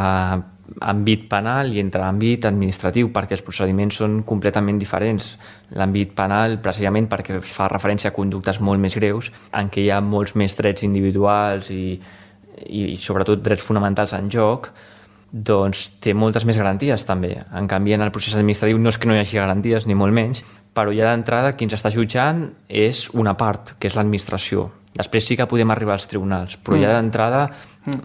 àmbit penal i entre àmbit administratiu, perquè els procediments són completament diferents. L'àmbit penal, precisament perquè fa referència a conductes molt més greus, en què hi ha molts més drets individuals i, i, i sobretot drets fonamentals en joc, doncs té moltes més garanties també. En canvi, en el procés administratiu no és que no hi hagi garanties, ni molt menys, però ja d'entrada qui ens està jutjant és una part, que és l'administració. Després sí que podem arribar als tribunals, però mm. ja d'entrada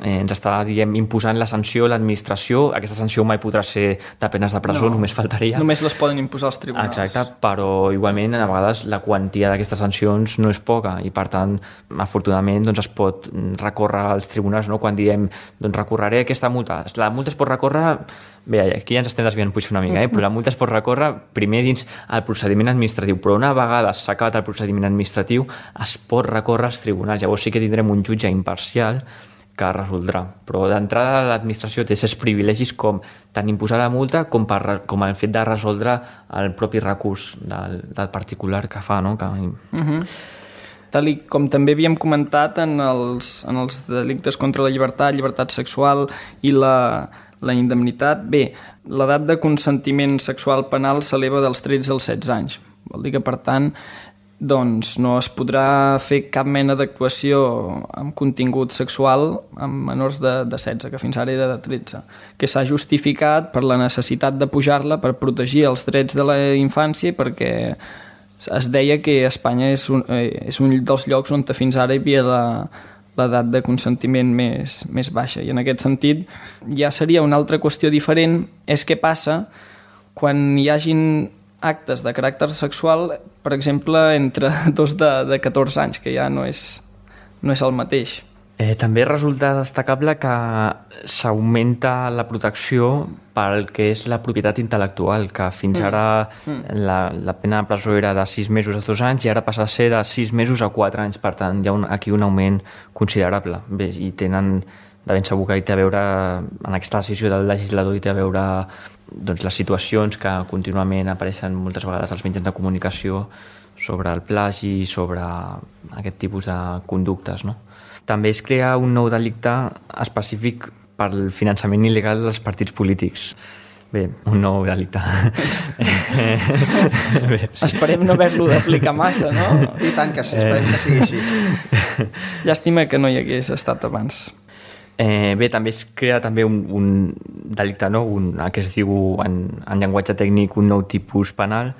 eh, ens està, diguem, imposant la sanció l'administració. Aquesta sanció mai podrà ser de penes de presó, no, només faltaria. Només les poden imposar els tribunals. Exacte, però igualment a vegades la quantia d'aquestes sancions no és poca i per tant, afortunadament, doncs, es pot recórrer als tribunals, no? Quan diem, doncs recorreré aquesta multa. La multa es pot recórrer, bé, aquí ja ens estem desviant potser una mica, eh? Però la multa es pot recórrer primer dins el procediment administratiu, però una vegada s'ha acabat el procediment administratiu es pot recórrer als tribunals. Llavors sí que tindrem un jutge imparcial que resoldrà. Però d'entrada l'administració té aquests privilegis com tant imposar la multa com, per, com el fet de resoldre el propi recurs del, del particular que fa, no? Que... Uh-huh. Tal i com també havíem comentat en els, en els delictes contra la llibertat, llibertat sexual i la, la indemnitat, bé, l'edat de consentiment sexual penal s'eleva dels tretze als setze anys. Vol dir que, per tant, doncs no es podrà fer cap mena d'actuació amb contingut sexual amb menors de, de setze, que fins ara era de tretze, que s'ha justificat per la necessitat de pujar-la per protegir els drets de la infància, perquè es deia que Espanya és un, és un dels llocs on fins ara hi havia la, l'edat de consentiment més, més baixa, i en aquest sentit ja seria una altra qüestió diferent, és què passa quan hi hagin actes de caràcter sexual, per exemple, entre dos de, de catorze anys, que ja no és, no és el mateix. Eh, també resulta destacable que s'augmenta la protecció pel que és la propietat intel·lectual, que fins mm. ara mm. La, la pena de presó era de sis mesos a dos anys i ara passa a ser de sis mesos a quatre anys, per tant hi ha un, aquí un augment considerable. Bé, i tenen de ben segur que hi té a veure, en aquesta decisió del legislador, hi té a veure doncs, les situacions que contínuament apareixen moltes vegades als mitjans de comunicació sobre el plagi i sobre aquest tipus de conductes, no? També es crea un nou delicte específic pel finançament il·legal dels partits polítics. Bé, un nou delicte. Bé, sí. Esperem no haver-lo d'aplicar massa, no? I tant que sí, esperem que sigui així. Llàstima que no hi hagués estat abans. Eh, bé, també es crea també un, un delicte, no? un, el que es diu en, en llenguatge tècnic un nou tipus penal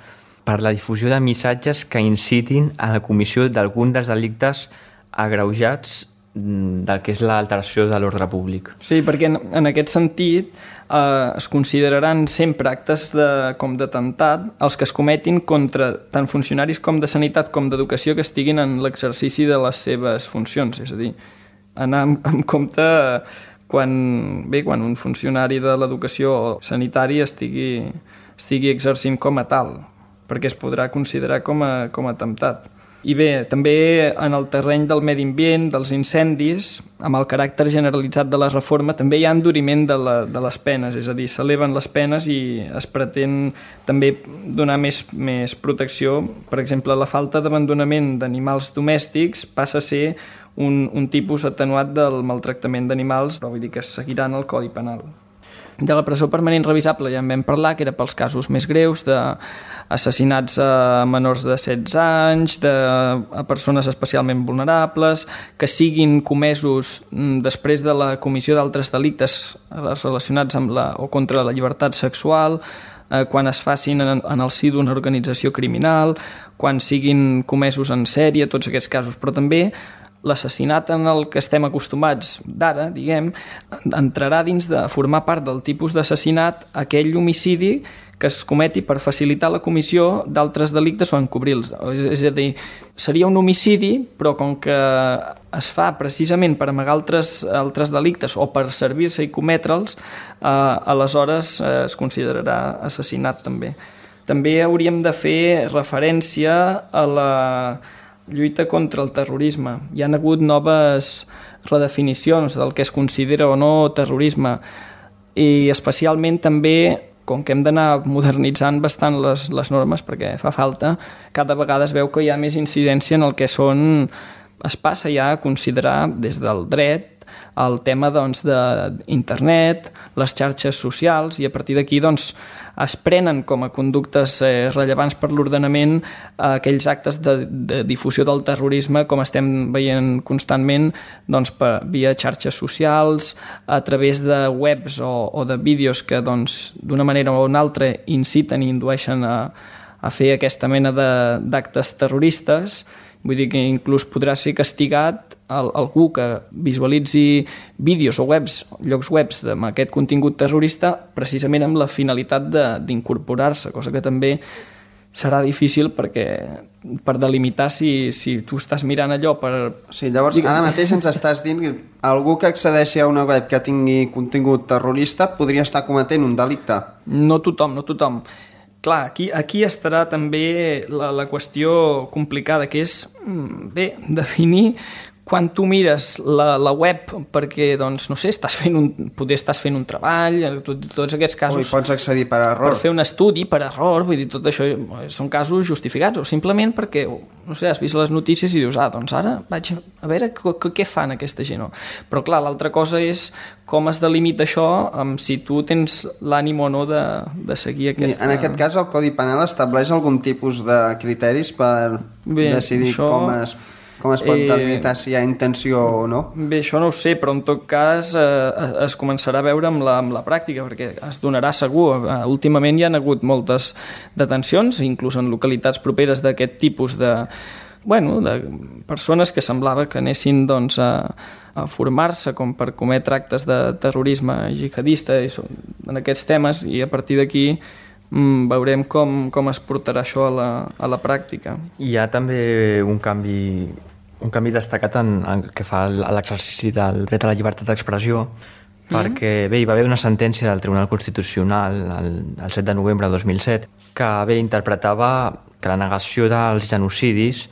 per la difusió de missatges que incitin a la comissió d'algun dels delictes agreujats del que és l'alteració de l'ordre públic. Sí, perquè en, en aquest sentit eh, es consideraran sempre actes de, com d'atemptat els que es cometin contra tant funcionaris com de sanitat com d'educació que estiguin en l'exercici de les seves funcions, és a dir, anar amb, amb compte quan, bé, quan un funcionari de l'educació sanitària estigui, estigui exercint com a tal, perquè es podrà considerar com a, com a atemptat. I bé, també en el terreny del medi ambient, dels incendis, amb el caràcter generalitzat de la reforma, també hi ha enduriment de, la, de les penes, és a dir, s'eleven les penes i es pretén també donar més, més protecció. Per exemple, la falta d'abandonament d'animals domèstics passa a ser un, un tipus atenuat del maltractament d'animals, però vull dir que seguiran el Codi Penal. De la presó permanent revisable ja en vam parlar, que era pels casos més greus, d'assassinats a menors de setze anys, de a persones especialment vulnerables, que siguin comesos després de la comissió d'altres delictes relacionats amb la, o contra la llibertat sexual, eh, quan es facin en, en el si d'una organització criminal, quan siguin comesos en sèrie, tots aquests casos, però també l'assassinat en el que estem acostumats d'ara, diguem, entrarà dins de formar part del tipus d'assassinat aquell homicidi que es cometi per facilitar la comissió d'altres delictes o encobrir-los. És a dir, seria un homicidi, però com que es fa precisament per amagar altres, altres delictes o per servir-se i cometre'ls, eh, aleshores eh, es considerarà assassinat també. També hauríem de fer referència a la lluita contra el terrorisme. Hi ha hagut noves redefinicions del que es considera o no terrorisme i especialment també, com que hem d'anar modernitzant bastant les, les normes perquè fa falta, cada vegada es veu que hi ha més incidència en el que són, es passa ja a considerar des del dret el tema doncs, d'internet, les xarxes socials, i a partir d'aquí doncs, es prenen com a conductes eh, rellevants per l'ordenament eh, aquells actes de, de difusió del terrorisme, com estem veient constantment doncs, per, via xarxes socials, a través de webs o, o de vídeos que doncs, d'una manera o una altra inciten i indueixen a, a fer aquesta mena d'actes terroristes. Vull dir que inclús podrà ser castigat el, algú que visualitzi vídeos o webs, llocs webs amb aquest contingut terrorista precisament amb la finalitat d'incorporar-se, cosa que també serà difícil perquè per delimitar si, si tu estàs mirant allò per... Sí, llavors ara mateix ens estàs dient que algú que accedeixi a una web que tingui contingut terrorista podria estar cometent un delicte. No tothom, no tothom. Clar, aquí, aquí estarà també la, la qüestió complicada, que és, bé, definir quan tu mires la, la web perquè, doncs, no sé, estàs fent un, poder estàs fent un treball, tots aquests casos... O hi pots accedir per error. Per fer un estudi per error, vull dir, tot això són casos justificats, o simplement perquè, no sé, has vist les notícies i dius, ah, doncs ara vaig a veure què fan aquesta gent. Però, clar, l'altra cosa és com es delimita això, amb si tu tens l'ànim o no de, de seguir aquesta... I en aquest cas, el Codi Penal estableix algun tipus de criteris per Bé, decidir això... com es... Com es pot delimitar eh, si hi ha intenció o no? Bé, això no ho sé, però en tot cas eh, es començarà a veure amb la, amb la pràctica, perquè es donarà segur. Eh, últimament hi ha hagut moltes detencions, inclús en localitats properes d'aquest tipus de, bueno, de persones que semblava que anessin doncs, a, a formar-se com per cometre actes de terrorisme jihadista i en aquests temes, i a partir d'aquí mm, veurem com, com es portarà això a la, a la pràctica. Hi ha també un canvi un canvi destacat en, en que fa l'exercici del dret a la llibertat d'expressió, mm. perquè bé, hi va haver una sentència del Tribunal Constitucional el, el set de novembre de dos mil set que bé interpretava que la negació dels genocidis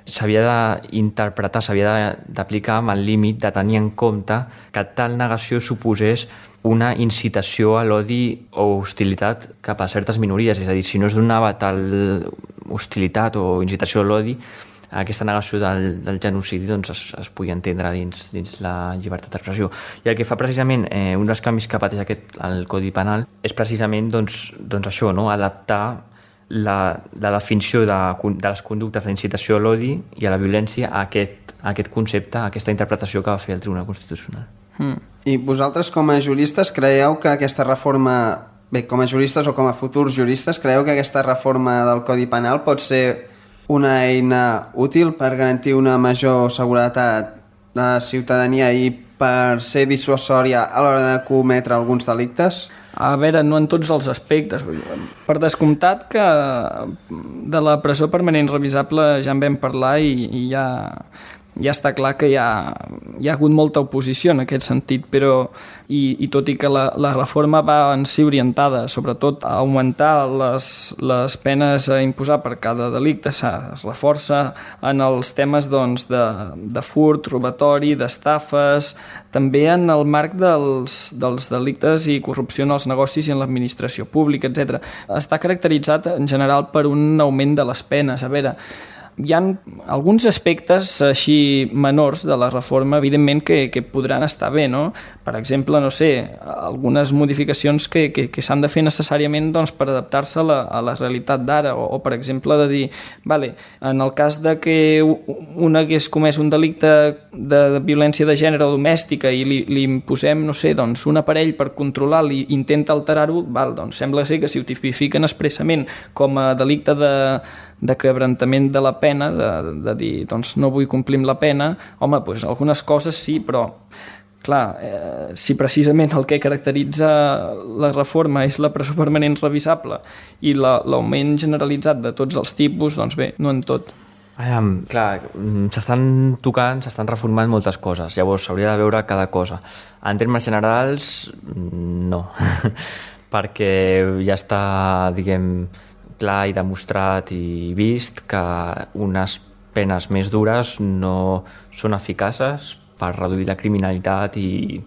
s'havia d'interpretar, s'havia d'aplicar amb el límit de tenir en compte que tal negació suposés una incitació a l'odi o hostilitat cap a certes minories, és a dir, si no es donava tal hostilitat o incitació a l'odi, aquesta negació del, del genocidi doncs es, es podia entendre dins, dins la llibertat d'expressió. I el que fa precisament eh, un dels canvis que pateix aquest, el Codi Penal és precisament doncs, doncs això, no? Adaptar la, la definició de, de les conductes d'incitació a l'odi i a la violència a aquest, a aquest concepte, a aquesta interpretació que va fer el Tribunal Constitucional. Mm. I vosaltres com a juristes creieu que aquesta reforma, bé, com a juristes o com a futurs juristes, creieu que aquesta reforma del Codi Penal pot ser una eina útil per garantir una major seguretat de la ciutadania i per ser dissuasòria a l'hora de cometre alguns delictes? A veure, no en tots els aspectes. Per descomptat que de la presó permanent revisable ja en vam parlar i, i ja, ja està clar que hi ha, hi ha hagut molta oposició en aquest sentit, però i, i tot i que la, la reforma va en si orientada sobretot a augmentar les, les penes a imposar per cada delicte, es reforça en els temes doncs, de, de furt, robatori, d'estafes, també en el marc dels, dels delictes i corrupció en els negocis i en l'administració pública, etcètera. Està caracteritzat en general per un augment de les penes. A veure, hi ha alguns aspectes així menors de la reforma, evidentment, que, que podran estar bé, no? Per exemple, no sé, algunes modificacions que, que, que s'han de fer necessàriament doncs, per adaptar-se a, la, a la realitat d'ara, o, o per exemple de dir, vale, en el cas de que un hagués comès un delicte de, de violència de gènere o domèstica i li, li imposem, no sé, doncs, un aparell per controlar-lo i intenta alterar-ho, val, doncs sembla ser que si ho tipifiquen expressament com a delicte de de quebrantament de la pena, de, de dir, doncs no vull complir amb la pena, home, doncs algunes coses sí, però clar, eh, si precisament el que caracteritza la reforma és la presó permanent revisable i la, l'augment generalitzat de tots els tipus, doncs bé, no en tot. Ah, clar, s'estan tocant, s'estan reformant moltes coses, llavors s'hauria de veure cada cosa. En termes generals, no, perquè ja està, diguem, clar i demostrat i vist que unes penes més dures no són eficaces per reduir la criminalitat i,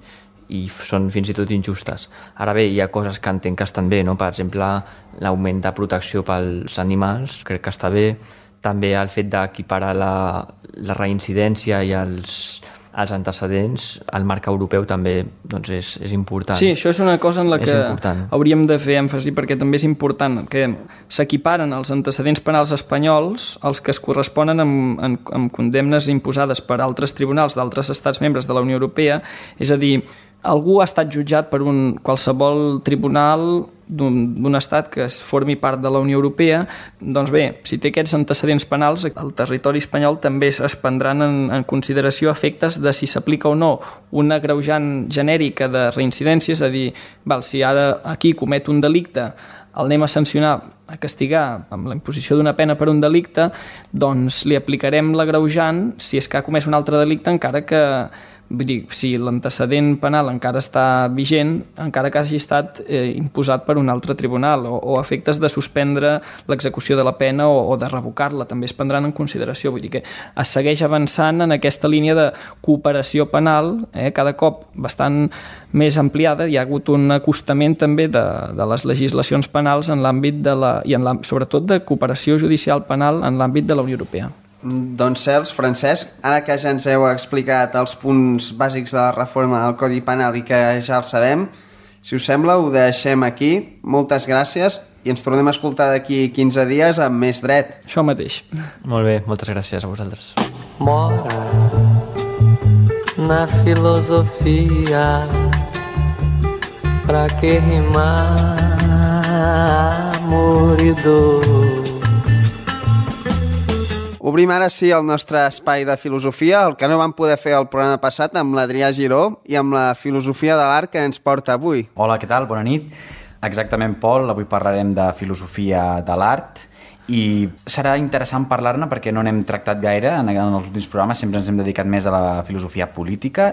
i són fins i tot injustes. Ara bé, hi ha coses que entenc que estan bé, no? Per exemple, l'augment de protecció pels animals, crec que està bé. També el fet d'equiparar la, la reincidència i els, els antecedents, el marc europeu també doncs és, és important. Sí, això és una cosa en la que hauríem de fer èmfasi perquè també és important que s'equiparen els antecedents penals espanyols als que es corresponen amb, amb, amb condemnes imposades per altres tribunals d'altres estats membres de la Unió Europea, és a dir, algú ha estat jutjat per un qualsevol tribunal d'un, d'un estat que es formi part de la Unió Europea, doncs bé, si té aquests antecedents penals, el territori espanyol també es prendran en, en consideració efectes de si s'aplica o no una agreujant genèrica de reincidència, és a dir, val, si ara aquí comet un delicte, el anem a sancionar, a castigar amb la imposició d'una pena per un delicte, doncs li aplicarem l'agreujant si és que ha comès un altre delicte encara que vull dir, si l'antecedent penal encara està vigent, encara que hagi estat eh, imposat per un altre tribunal, o, o efectes de suspendre l'execució de la pena o, o de revocar-la, també es prendran en consideració. Vull dir que es segueix avançant en aquesta línia de cooperació penal, eh, cada cop bastant més ampliada. Hi ha hagut un acostament també de, de les legislacions penals en l'àmbit de la, i en la, sobretot de cooperació judicial penal en l'àmbit de la Unió Europea. Doncs Cels, Francesc, ara que ja ens heu explicat els punts bàsics de la reforma del Codi Penal i que ja el sabem, si us sembla ho deixem aquí. Moltes gràcies i ens tornem a escoltar d'aquí quinze dies amb més dret. Això mateix. Molt bé, moltes gràcies a vosaltres. Mora na filosofia, pra que rimar amor i dor. Obrim ara sí el nostre espai de filosofia, el que no vam poder fer el programa passat amb l'Adrià Giró i amb la filosofia de l'art que ens porta avui. Hola, què tal? Bona nit. Exactament, Pol, avui parlarem de filosofia de l'art i serà interessant parlar-ne perquè no n'hem tractat gaire en els últims programes, sempre ens hem dedicat més a la filosofia política.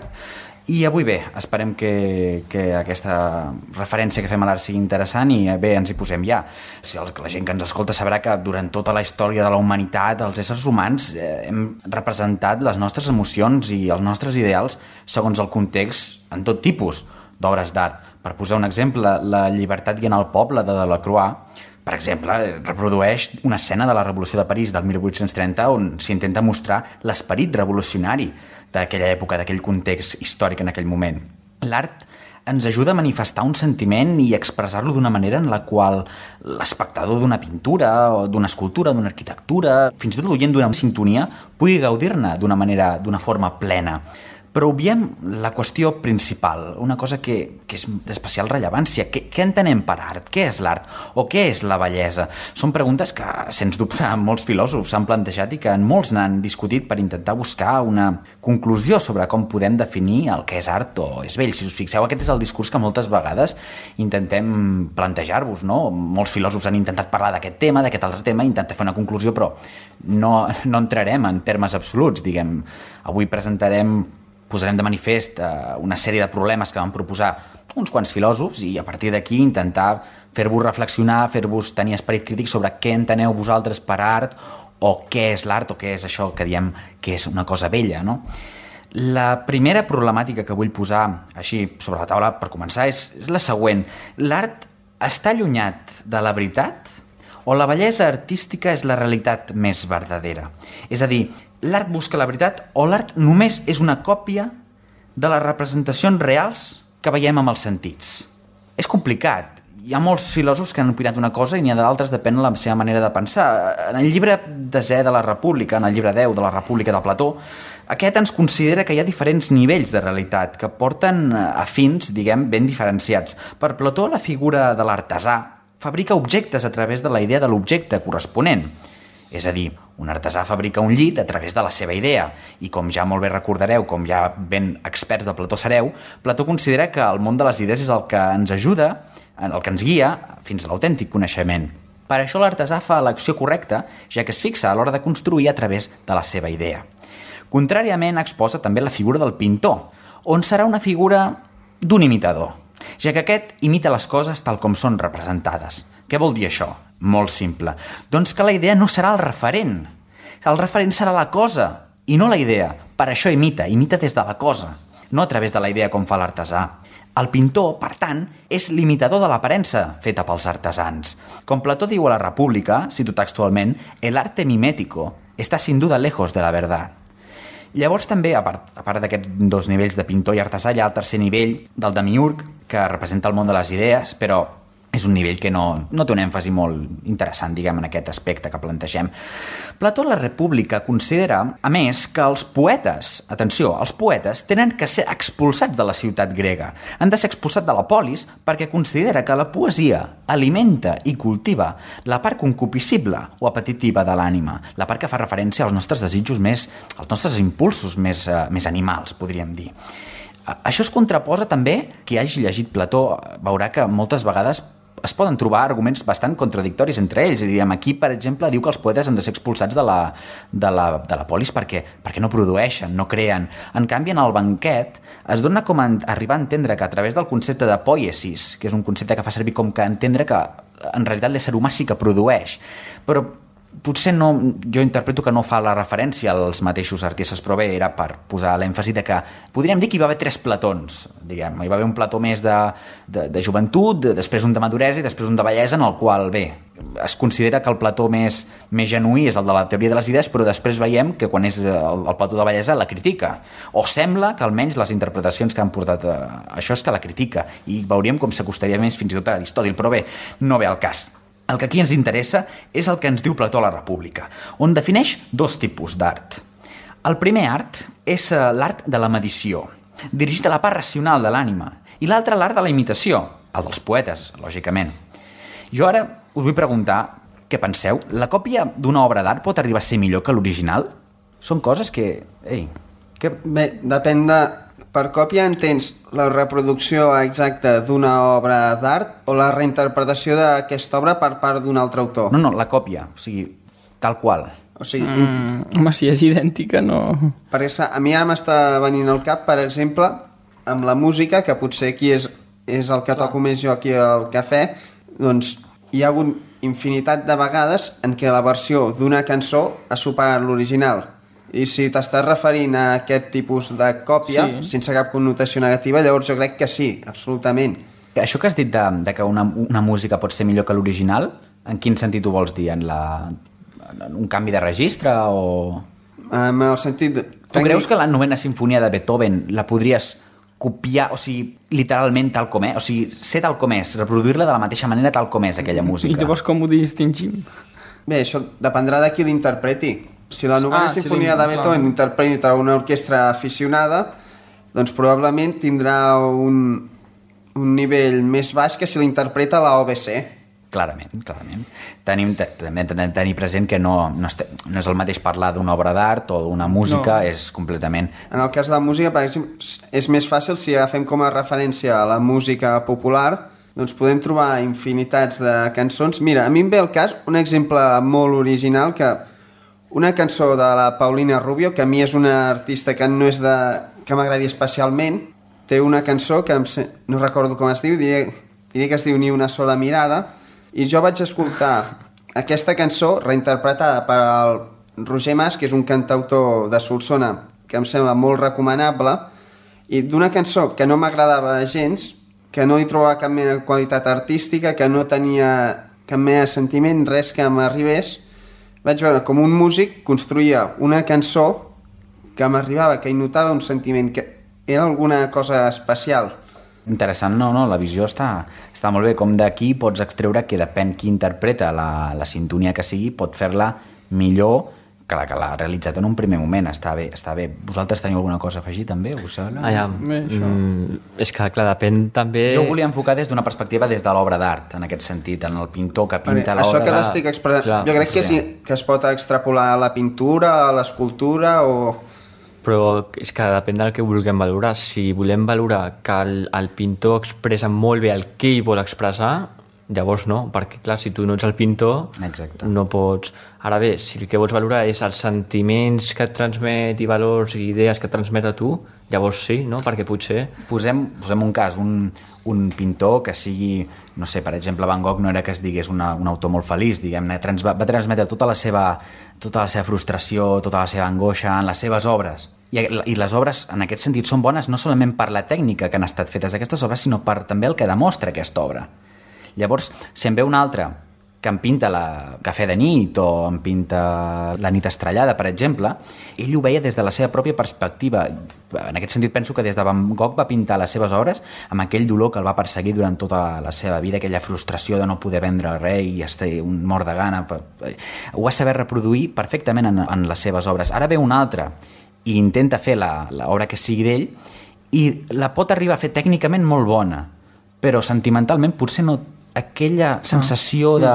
I avui bé, esperem que, que aquesta referència que fem a l'art sigui interessant i bé, ens hi posem ja. Si la gent que ens escolta sabrà que durant tota la història de la humanitat, els éssers humans eh, hem representat les nostres emocions i els nostres ideals segons el context en tot tipus d'obres d'art. Per posar un exemple, la Llibertat guiant el poble de Delacroix, per exemple, reprodueix una escena de la Revolució de París del mil vuit-cents trenta on s'intenta mostrar l'esperit revolucionari d'aquella època, d'aquell context històric en aquell moment. L'art ens ajuda a manifestar un sentiment i expressar-lo d'una manera en la qual l'espectador d'una pintura o d'una escultura, d'una arquitectura, fins i tot l'oient d'una sintonia, pugui gaudir-ne d'una manera, d'una forma plena. Però obviem la qüestió principal, una cosa que, que és d'especial rellevància. Què, què entenem per art? Què és l'art? O què és la bellesa? Són preguntes que, sens dubte, molts filòsofs s'han plantejat i que molts n'han discutit per intentar buscar una conclusió sobre com podem definir el que és art o és bell. Si us fixeu, aquest és el discurs que moltes vegades intentem plantejar-vos, no? Molts filòsofs han intentat parlar d'aquest tema, d'aquest altre tema, intentar fer una conclusió, però no, no entrarem en termes absoluts, diguem. Avui presentarem posarem de manifest eh, una sèrie de problemes que van proposar uns quants filòsofs i a partir d'aquí intentar fer-vos reflexionar, fer-vos tenir esperit crític sobre què enteneu vosaltres per art o què és l'art o què és això que diem que és una cosa bella, no? La primera problemàtica que vull posar així sobre la taula per començar és, és la següent. L'art està allunyat de la veritat o la bellesa artística és la realitat més verdadera? És a dir, l'art busca la veritat o l'art només és una còpia de les representacions reals que veiem amb els sentits? És complicat. Hi ha molts filòsofs que han opinat una cosa i n'hi ha d'altres, depèn de la seva manera de pensar. En el llibre desè de la República, en el llibre deu de la República de Plató, aquest ens considera que hi ha diferents nivells de realitat que porten a fins, diguem, ben diferenciats. Per Plató, la figura de l'artesà fabrica objectes a través de la idea de l'objecte corresponent. És a dir, un artesà fabrica un llit a través de la seva idea i com ja molt bé recordareu, com ja ben experts de Plató sereu, Plató considera que el món de les idees és el que ens ajuda, el que ens guia fins a l'autèntic coneixement. Per això l'artesà fa l'acció correcta, ja que es fixa a l'hora de construir a través de la seva idea. Contràriament exposa també la figura del pintor, on serà una figura d'un imitador, ja que aquest imita les coses tal com són representades. Què vol dir això? Molt simple. Doncs que la idea no serà el referent. El referent serà la cosa i no la idea. Per això imita, imita des de la cosa, no a través de la idea com fa l'artesà. El pintor, per tant, és l'imitador de l'aparença feta pels artesans. Com Plató diu a la República, cito textualment, el arte mimético está sin duda lejos de la verdad. Llavors també, a part, a part d'aquests dos nivells de pintor i artesà, hi ha el tercer nivell del demiurg, que representa el món de les idees, però és un nivell que no, no té un èmfasi molt interessant, diguem, en aquest aspecte que plantegem. Plató a la República considera, a més, que els poetes, atenció, els poetes tenen que ser expulsats de la ciutat grega. Han de ser expulsats de la polis perquè considera que la poesia alimenta i cultiva la part concupiscible o apetitiva de l'ànima, la part que fa referència als nostres desitjos més, als nostres impulsos més, uh, més animals, podríem dir. Això es contraposa també, qui hagi llegit Plató veurà que moltes vegades es poden trobar arguments bastant contradictoris entre ells. I diem, aquí, per exemple, diu que els poetes han de ser expulsats de la, de la, de la polis perquè, perquè no produeixen, no creen. En canvi, en el banquet es dona com a arribar a entendre que a través del concepte de poiesis, que és un concepte que fa servir com que entendre que en realitat l'ésser humà sí que produeix, però potser no, jo interpreto que no fa la referència als mateixos artistes, però bé, era per posar l'èmfasi de que podríem dir que hi va haver tres platons, diguem. Hi va haver un plató més de, de, de joventut, després un de maduresa i després un de bellesa, en el qual, bé, es considera que el plató més, més genuí és el de la teoria de les idees, però després veiem que quan és el, el plató de bellesa la critica, o sembla que almenys les interpretacions que han portat a, a això és que la critica, i veuríem com s'acostaria més fins i tot a Aristòtil, però bé, no ve al cas. El que aquí ens interessa és el que ens diu Plató a la República, on defineix dos tipus d'art. El primer art és l'art de la medició, dirigit a la part racional de l'ànima, i l'altre l'art de la imitació, el dels poetes, lògicament. Jo ara us vull preguntar què penseu. La còpia d'una obra d'art pot arribar a ser millor que l'original? Són coses que... Ei, que... Bé, depèn de... Per còpia entens la reproducció exacta d'una obra d'art o la reinterpretació d'aquesta obra per part d'un altre autor? No, no, la còpia, o sigui, tal qual. O sigui, Mm, home, si és idèntica, no... perquè a mi ara m'està venint al cap, per exemple, amb la música, que potser aquí és, és el que toco més jo aquí al cafè, doncs hi ha hagut infinitat de vegades en què la versió d'una cançó ha superat l'original. I si t'estàs referint a aquest tipus de còpia, sí, sense cap connotació negativa, llavors jo crec que sí, absolutament. Això que has dit de, de que una, una música pot ser millor que l'original, en quin sentit ho vols dir? En, la, en un canvi de registre o...? En el sentit... De... Tu creus que la novena sinfonia de Beethoven la podries copiar, o sigui, literalment tal com és? O sigui, ser tal com és, reproduir-la de la mateixa manera tal com és aquella música? I llavors com ho distingim? Bé, això dependrà de qui l'interpreti. Si la novena ah, sinfonia sí, de Beethoven clar. Interpreta una orquestra aficionada, doncs probablement tindrà un, un nivell més baix que si l'interpreta la O B C. Clarament, clarament. Tenim també de tenir present que no, no, este, no és el mateix parlar d'una obra d'art o d'una música, no. És completament... En el cas de la música, per exemple, és més fàcil si agafem com a referència a la música popular, doncs podem trobar infinitats de cançons. Mira, a mi em ve al cas un exemple molt original que... Una cançó de la Paulina Rubio, que a mi és una artista que no és de... que m'agradi especialment, té una cançó que em... no recordo com es diu, diré, diré que es diu Ni una sola mirada, i jo vaig escoltar aquesta cançó reinterpretada per el Roger Mas, que és un cantautor de Solsona que em sembla molt recomanable, i d'una cançó que no m'agradava gens, que no li trobava cap mena de qualitat artística, que no tenia cap mena de sentiment, res que m'arribés, vaig veure com un músic construïa una cançó que m'arribava, que hi notava un sentiment, que era alguna cosa especial. Interessant, no, no, la visió està, està molt bé, com d'aquí pots extreure que depèn qui interpreta la, la sintonia que sigui, pot fer-la millor que la que l'ha realitzat en un primer moment. Està bé, està bé. Vosaltres teniu alguna cosa a afegir també? Us sembla? Ah, ja. Mm, és que, clar, depèn també... Jo ho volia enfocar des d'una perspectiva des de l'obra d'art, en aquest sentit, en el pintor que pinta l'obra. Això que t'estic expressant, jo crec que, sí, que es pot extrapolar a la pintura, a l'escultura o... Però és que depèn del que vulguem valorar. Si volem valorar que el, el pintor expressa molt bé el que ell vol expressar, llavors no, perquè clar, si tu no ets el pintor, exacte, no pots... Ara bé, si el que vols valorar és els sentiments que et transmet i valors i idees que et transmet a tu, llavors sí, no? Perquè potser... Posem, posem un cas, un, un pintor que sigui, no sé, per exemple, Van Gogh no era que es digués una, un autor molt feliç, diguem-ne, trans, va, va transmetre tota la seva, tota la seva frustració, tota la seva angoixa en les seves obres. I, I les obres, en aquest sentit, són bones no solament per la tècnica que han estat fetes aquestes obres, sinó per també el que demostra aquesta obra. Llavors, si em ve un altre que em pinta la Cafè de nit o em pinta La nit estrellada, per exemple, ell ho veia des de la seva pròpia perspectiva. En aquest sentit penso que des de Van Gogh va pintar les seves obres amb aquell dolor que el va perseguir durant tota la seva vida, aquella frustració de no poder vendre res i estar un mort de gana. Ho va saber reproduir perfectament en, en les seves obres. Ara ve un altre i intenta fer l'obra que sigui d'ell i la pot arribar a fer tècnicament molt bona, però sentimentalment potser no aquella sensació de,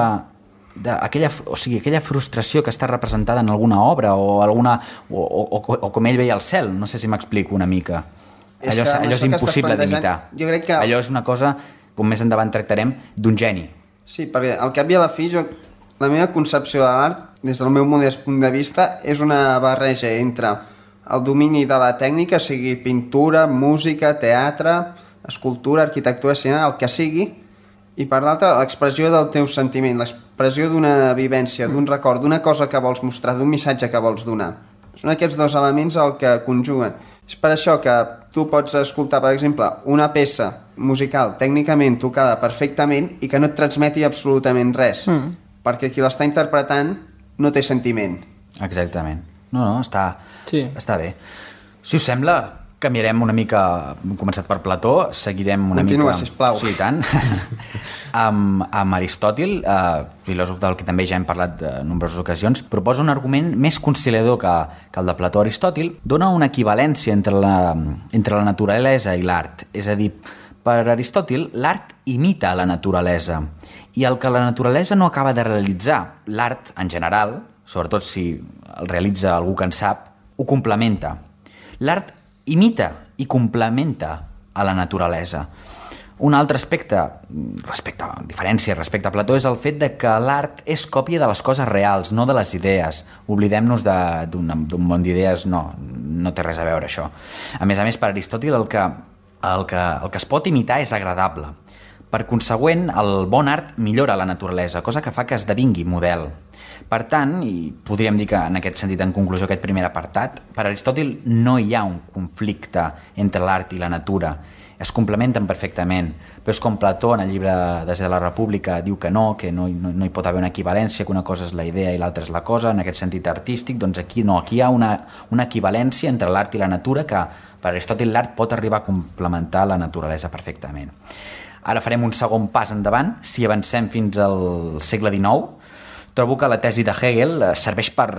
de aquella, o sigui, aquella frustració que està representada en alguna obra o, alguna, o, o, o com ell veia el cel, no sé si m'explico una mica. És allò, allò és impossible d'imitar. Jo crec que... Allò és una cosa com més endavant tractarem, d'un geni. Sí, perquè al cap i a la fi, jo, la meva concepció de l'art, des del meu modest punt de vista, és una barreja entre el domini de la tècnica, sigui pintura, música, teatre, escultura, arquitectura, cinema, el que sigui, i per l'altra, l'expressió del teu sentiment, l'expressió d'una vivència, d'un record, d'una cosa que vols mostrar, d'un missatge que vols donar. Són aquests dos elements el que conjuguen. És per això que tu pots escoltar, per exemple, una peça musical tècnicament tocada perfectament i que no et transmeti absolutament res, mm. perquè qui l'està interpretant no té sentiment. Exactament. No, no, està, sí. està bé. Si us sembla, canviarem una mica, hem començat per Plató, seguirem una Continua, mica... sisplau. Sí, tant. amb, amb Aristòtil, eh, filòsof del que també ja hem parlat en nombroses ocasions, proposa un argument més conciliador que, que el de Plató. Aristòtil dona una equivalència entre la, entre la naturalesa i l'art. És a dir, per Aristòtil, l'art imita la naturalesa i el que la naturalesa no acaba de realitzar, l'art en general, sobretot si el realitza algú que en sap, ho complementa. L'art imita i complementa a la naturalesa. Un altre aspecte, respecte, diferència respecte a Plató, és el fet de que l'art és còpia de les coses reals, no de les idees. Oblidem-nos d'un món d'idees, no, no té res a veure això. A més a més, per Aristòtil, el que, el que, el que es pot imitar és agradable. Per consegüent, el bon art millora la naturalesa, cosa que fa que esdevingui model. Per tant, i podríem dir que en aquest sentit, en conclusió, aquest primer apartat, per Aristòtil no hi ha un conflicte entre l'art i la natura. Es complementen perfectament, però és com Plató en el llibre Des de la República diu que no, que no, no, no hi pot haver una equivalència, que una cosa és la idea i l'altra és la cosa, en aquest sentit artístic, doncs aquí no, aquí hi ha una, una equivalència entre l'art i la natura que per Aristòtil l'art pot arribar a complementar la naturalesa perfectament. Ara farem un segon pas endavant, si avancem fins al segle dinou. Trobo que la tesi de Hegel serveix per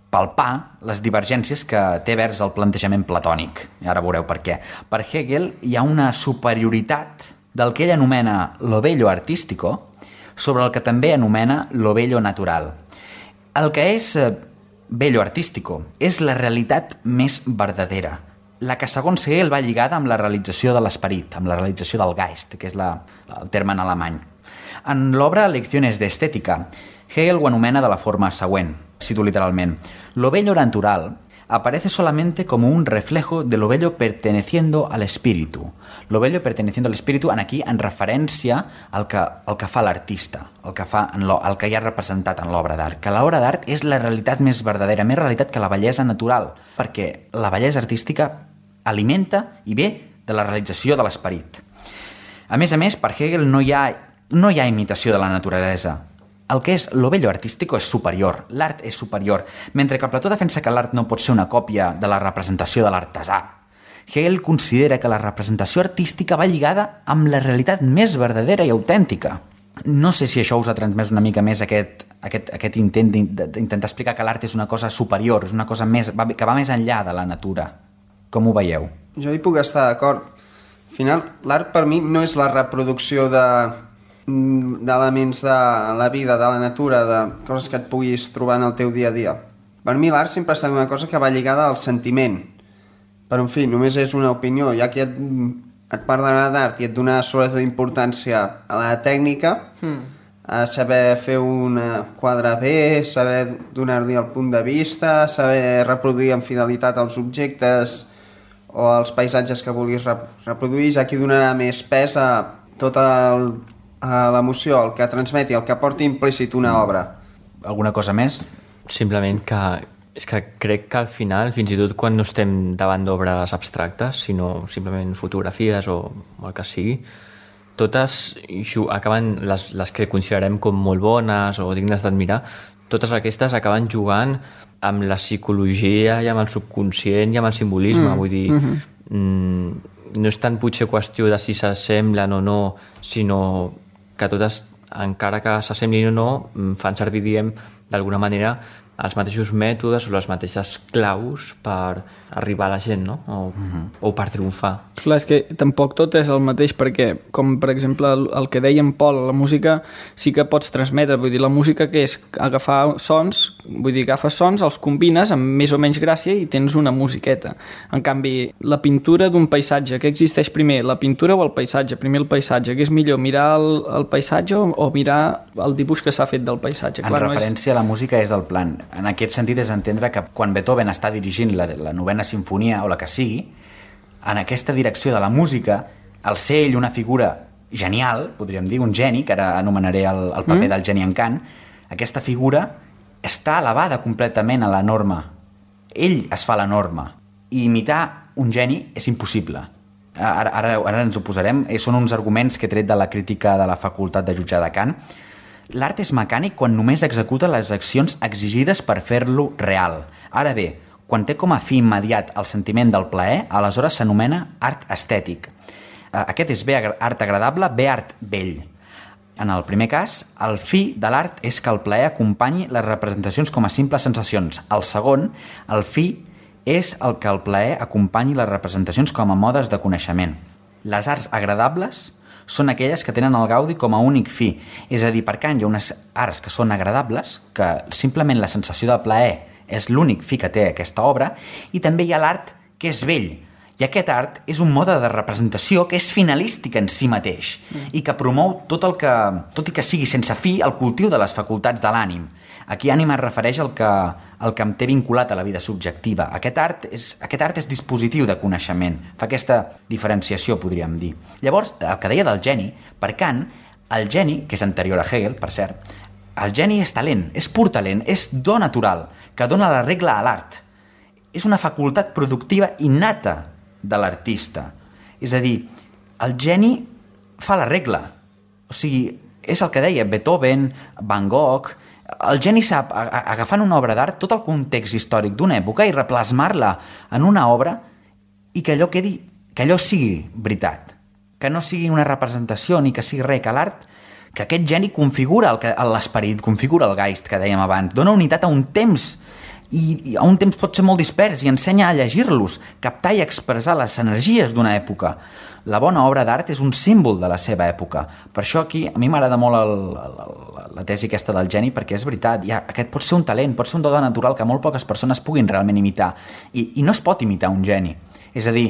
palpar les divergències que té vers el plantejament platònic. I ara veureu per què. Per Hegel hi ha una superioritat del que ell anomena lo bello artístico sobre el que també anomena lo bello natural. El que és bello artístico és la realitat més verdadera, la que segons Hegel va lligada amb la realització de l'esperit, amb la realització del Geist, que és la, el terme en alemany. En l'obra Lecciones de Estética, Hegel ho anomena de la forma següent, cito literalment: lo bello natural aparece solamente como un reflejo de lo bello perteneciendo al espíritu. Lo bello perteneciendo al espíritu, en aquí en referència al que, al que fa l'artista, el que fa en lo, el que hi ha representat en l'obra d'art. Que l'obra d'art és la realitat més verdadera, més realitat que la bellesa natural, perquè la bellesa artística alimenta i ve de la realització de l'esperit. A més a més, per Hegel no hi ha, no hi ha imitació de la naturalesa. El que és lo bello artístico és superior, l'art és superior, mentre que Plató defensa que l'art no pot ser una còpia de la representació de l'artesà. Hegel considera que la representació artística va lligada amb la realitat més verdadera i autèntica. No sé si això us ha transmès una mica més aquest, aquest, aquest intent d'intentar explicar que l'art és una cosa superior, és una cosa més, que va més enllà de la natura. Com ho veieu? Jo hi puc estar d'acord. Al final, l'art per mi no és la reproducció de d'elements de la vida, de la natura, de coses que et puguis trobar en el teu dia a dia. Per mi l'art sempre ha estat una cosa que va lligada al sentiment. Però, en fi, només és una opinió. Ja que et, et parlarà d'art i et donarà sobretot importància a la tècnica, mm. a saber fer un quadre bé, saber donar-li el punt de vista, saber reproduir amb fidelitat els objectes o els paisatges que vulguis reproduir, ja que donarà més pes a tot el a l'emoció, el que transmeti, el que porti implícit una obra. Alguna cosa més? Simplement que és que crec que al final, fins i tot quan no estem davant d'obres abstractes, sinó simplement fotografies o, o el que sigui, totes acaben, les, les que considerem com molt bones o dignes d'admirar, totes aquestes acaben jugant amb la psicologia i amb el subconscient i amb el simbolisme. Mm. Vull dir, mm-hmm. mm, no és tant potser qüestió de si s'assemblen o no, sinó que totes, encara que s'assemblin o no, fan servir, diguem, d'alguna manera els mateixos mètodes o les mateixes claus per arribar a la gent, no? O, mm-hmm. o per triomfar. Clar, és que tampoc tot és el mateix, perquè, com per exemple el, el que deia en Pol, la música sí que pots transmetre, vull dir, la música que és agafar sons, vull dir, agafes sons, els combines amb més o menys gràcia i tens una musiqueta. En canvi, la pintura d'un paisatge, què existeix primer, la pintura o el paisatge? Primer el paisatge, què és millor, mirar el, el paisatge o, o mirar el dibuix que s'ha fet del paisatge? En Clar, referència no és... a la música és del plan. En aquest sentit és entendre que quan Beethoven està dirigint la, la novena sinfonia o la que sigui, en aquesta direcció de la música, el ser ell una figura genial, podríem dir, un geni, que ara anomenaré el, el paper mm. del geni en Kant, aquesta figura està elevada completament a la norma. Ell es fa la norma. I imitar un geni és impossible. Ara, ara, ara ens ho posarem. Són uns arguments que he tret de la crítica de la facultat de jutjar de Kant. L'art és mecànic quan només executa les accions exigides per fer-lo real. Ara bé, quan té com a fi immediat el sentiment del plaer, aleshores s'anomena art estètic. Aquest és bé art agradable, bé art bell. En el primer cas, el fi de l'art és que el plaer acompanyi les representacions com a simples sensacions. El segon, el fi és el que el plaer acompanyi les representacions com a modes de coneixement. Les arts agradables són aquelles que tenen el gaudi com a únic fi. És a dir, per Kant hi ha unes arts que són agradables, que simplement la sensació de plaer és l'únic fi que té aquesta obra, i també hi ha l'art que és bell. I aquest art és un mode de representació que és finalístic en si mateix mm. i que promou tot el que, tot i que sigui sense fi, el cultiu de les facultats de l'ànim. Aquí ànima es refereix al que, al que em té vinculat a la vida subjectiva. Aquest art, és, aquest art és dispositiu de coneixement. Fa aquesta diferenciació, podríem dir. Llavors, el que deia del geni, per Kant, el geni, que és anterior a Hegel, per cert, el geni és talent, és pur talent, és do natural, que dona la regla a l'art. És una facultat productiva innata de l'artista. És a dir, el geni fa la regla. O sigui, és el que deia Beethoven, Van Gogh. El geni sap, agafant una obra d'art, tot el context històric d'una època i replasmar-la en una obra i que allò quedi, que allò sigui veritat. Que no sigui una representació ni que sigui res, que l'art, que aquest geni configura l'esperit, configura el geist que dèiem abans, dona unitat a un temps i, i a un temps pot ser molt dispers i ensenya a llegir-los, captar i expressar les energies d'una època. La bona obra d'art és un símbol de la seva època. Per això aquí a mi m'agrada molt el, el, la tesi aquesta del geni, perquè és veritat, ja, aquest pot ser un talent, pot ser un do natural que molt poques persones puguin realment imitar, i, i no es pot imitar un geni. És a dir,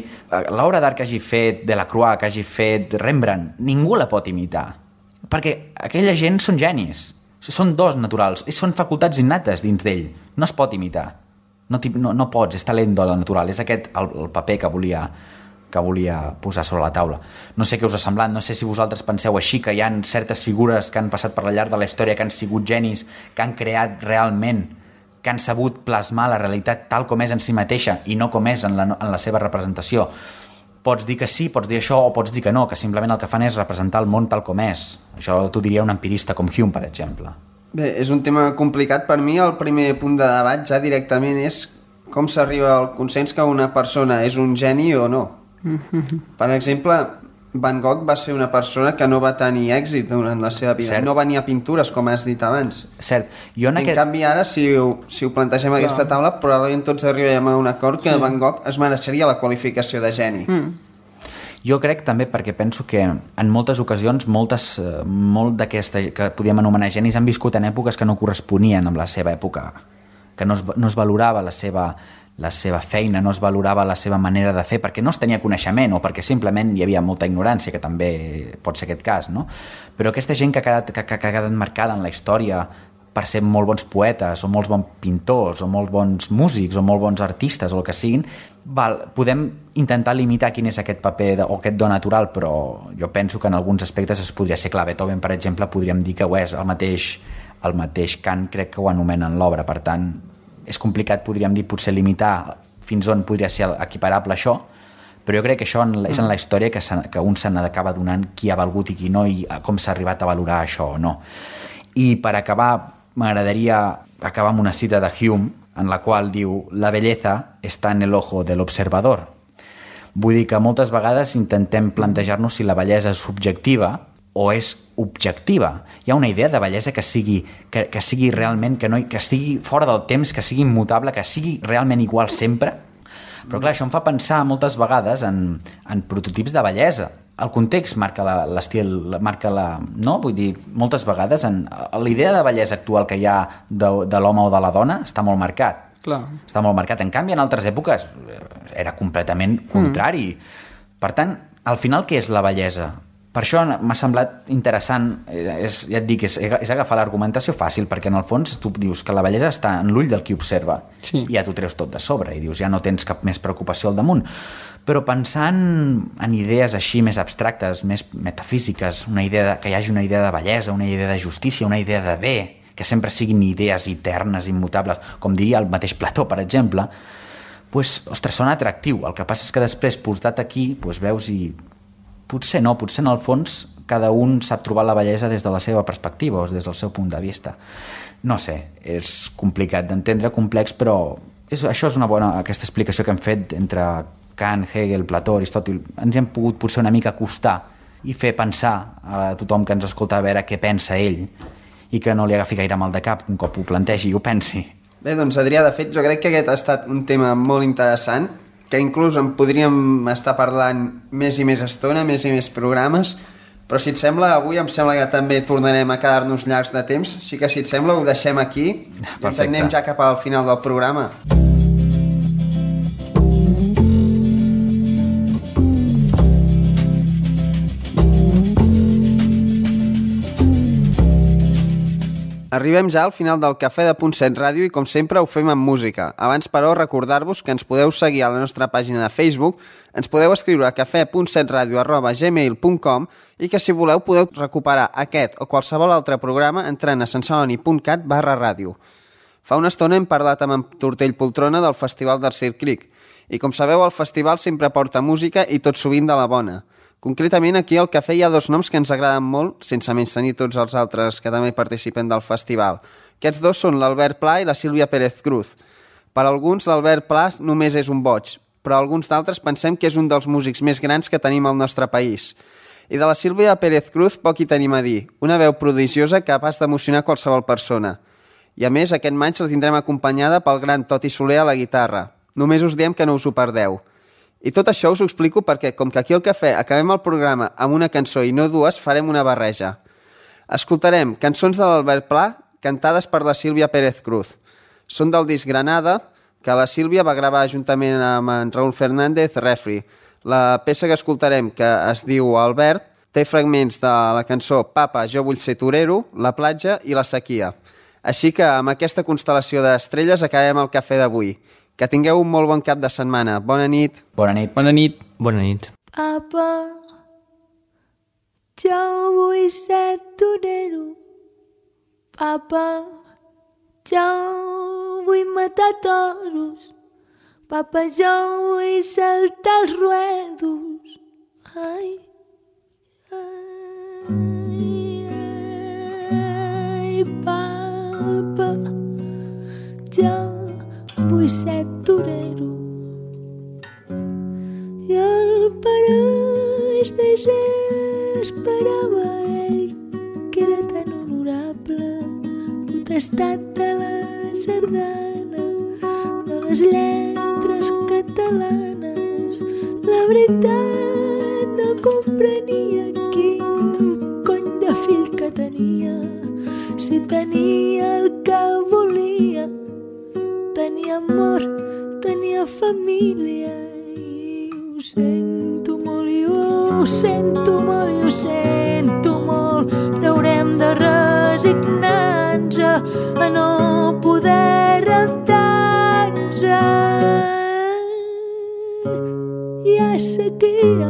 l'obra d'art que hagi fet Delacroix, que hagi fet Rembrandt, ningú la pot imitar, perquè aquella gent són genis, són dos naturals, són facultats innates dins d'ell, no es pot imitar, no, no, no pots, és talent de la natural, és aquest el, el paper que volia, que volia posar sobre la taula. No sé què us ha semblat, no sé si vosaltres penseu així, que hi ha certes figures que han passat per la llarg de la història, que han sigut genis, que han creat realment, que han sabut plasmar la realitat tal com és en si mateixa i no com és en la, en la seva representació. Pots dir que sí, pots dir això, o pots dir que no, que simplement el que fan és representar el món tal com és. Això t'ho diria un empirista com Hume, per exemple. Bé, és un tema complicat. Per mi el primer punt de debat ja directament és com s'arriba al consens que una persona és un geni o no. Per exemple, Van Gogh va ser una persona que no va tenir èxit durant la seva vida. Cert. No venia pintures, com has dit abans. Cert. Jo en, en aquest... canvi, ara, si ho, si ho plantegem a aquesta taula, probablement tots arribem a un acord que sí. Van Gogh es mereixeria la qualificació de geni. Mm. Jo crec també perquè penso que en moltes ocasions moltes, molt d'aquesta que podíem anomenar genis han viscut en èpoques que no corresponien amb la seva època, que no es, no es valorava la seva, la seva feina, no es valorava la seva manera de fer perquè no es tenia coneixement o perquè simplement hi havia molta ignorància, que també pot ser aquest cas, no? Però aquesta gent que ha quedat, que, que ha quedat marcada en la història per ser molt bons poetes o molts bons pintors o molt bons músics o molt bons artistes o el que siguin, val, podem intentar limitar quin és aquest paper de, o aquest do natural, però jo penso que en alguns aspectes es podria ser clar. Beethoven, per exemple, podríem dir que ho és, el mateix, el mateix Kant crec que ho anomena en l'obra, per tant és complicat, podríem dir, potser limitar fins on podria ser equiparable això, però jo crec que això és en la història que, que un se n'acaba donant qui ha valgut i qui no i com s'ha arribat a valorar això o no. I per acabar m'agradaria acabar amb una cita de Hume en la qual diu: la belleza està en el ojo de l'observador. Vull dir que moltes vegades intentem plantejar-nos si la bellesa és subjectiva o és objectiva. Hi ha una idea de bellesa que sigui, que, que sigui realment, que, no, que estigui fora del temps, que sigui immutable, que sigui realment igual sempre. Però clar, això em fa pensar moltes vegades en, en prototips de bellesa. El context marca l'estil, marca la... No? Vull dir, moltes vegades en, la idea de bellesa actual que hi ha de, de l'home o de la dona està molt marcat. Clar. Està molt marcat. En canvi, en altres èpoques era completament contrari. Mm. Per tant, al final, què és la bellesa? Per això m'ha semblat interessant, és, ja et dic, és, és agafar l'argumentació fàcil, perquè en el fons tu dius que la bellesa està en l'ull del qui observa, sí. I ja t'ho treus tot de sobre, i dius, ja no tens cap més preocupació al damunt. Però pensant en idees així més abstractes, més metafísiques, una idea de, que hi hagi una idea de bellesa, una idea de justícia, una idea de bé, que sempre siguin idees eternes, immutables, com diria el mateix Plató, per exemple, pues, ostres, sona atractiu. El que passa és que després, portat aquí, pues, veus i... Potser no, potser en el fons cada un sap trobar la bellesa des de la seva perspectiva o des del seu punt de vista. No sé, és complicat d'entendre, complex, però és, això és una bona, aquesta explicació que hem fet entre Kant, Hegel, Plató, Aristòtil. Ens hem pogut potser una mica acostar i fer pensar a tothom que ens escolta a veure què pensa ell i que no li agafi gaire mal de cap un cop ho plantegi i ho pensi. Bé, doncs Adrià, de fet, jo crec que aquest ha estat un tema molt interessant, que inclús en podríem estar parlant més i més estona, més i més programes, però si et sembla, avui em sembla que també tornarem a quedar-nos llargs de temps, així que si et sembla ho deixem aquí. Perfecte. I ens anem ja cap al final del programa. Arribem ja al final del Cafè de Punt set Ràdio i com sempre ho fem amb música. Abans, però, recordar-vos que ens podeu seguir a la nostra pàgina de Facebook, ens podeu escriure a cafè punt set ràdio arroba gmail punt com i que si voleu podeu recuperar aquest o qualsevol altre programa entrant a sensoni punt cat barra ràdio. Fa una estona hem parlat amb en Tortell Poltrona del Festival d'Arcir Creek i com sabeu el festival sempre porta música i tot sovint de la bona. Concretament, aquí al cafè hi ha dos noms que ens agraden molt, sense menys tenir tots els altres que també participen del festival. Aquests dos són l'Albert Pla i la Sílvia Pérez Cruz. Per alguns, l'Albert Pla només és un boig, però alguns d'altres pensem que és un dels músics més grans que tenim al nostre país. I de la Sílvia Pérez Cruz poc hi tenim a dir, una veu prodigiosa capaç d'emocionar qualsevol persona. I a més, aquest maig la tindrem acompanyada pel gran Toti Soler a la guitarra. Només us diem que no us ho perdeu. I tot això us ho explico perquè, com que aquí al cafè acabem el programa amb una cançó i no dues, farem una barreja. Escoltarem cançons de l'Albert Pla cantades per la Sílvia Pérez Cruz. Són del disc Granada, que la Sílvia va gravar juntament amb en Raúl Fernández Refri. La peça que escoltarem, que es diu Albert, té fragments de la cançó Papa, jo vull ser torero, La platja i La sequia. Així que amb aquesta constel·lació d'estrelles acabem el cafè d'avui. Que tingueu un molt bon cap de setmana. Bona nit. Bona nit. Bona nit. Bona nit. Papa, jo vull ser torero. Papa, jo vull matar toros. Papa, jo vull saltar els ruedos. Ai, ai, ai, papa, jo vull ser torero. I el pareix desesperava ell, que era tan honorable, potestat de la sardana, de les lletres catalanes. La veritat no comprenia quin cony de fill que tenia, si tenia el que volia. Tenia amor, tenia família i ho sento molt, i ho sento molt, i ho sento molt, però haurem de resignar-nos a no poder rentar-nos. Hi ha sequia,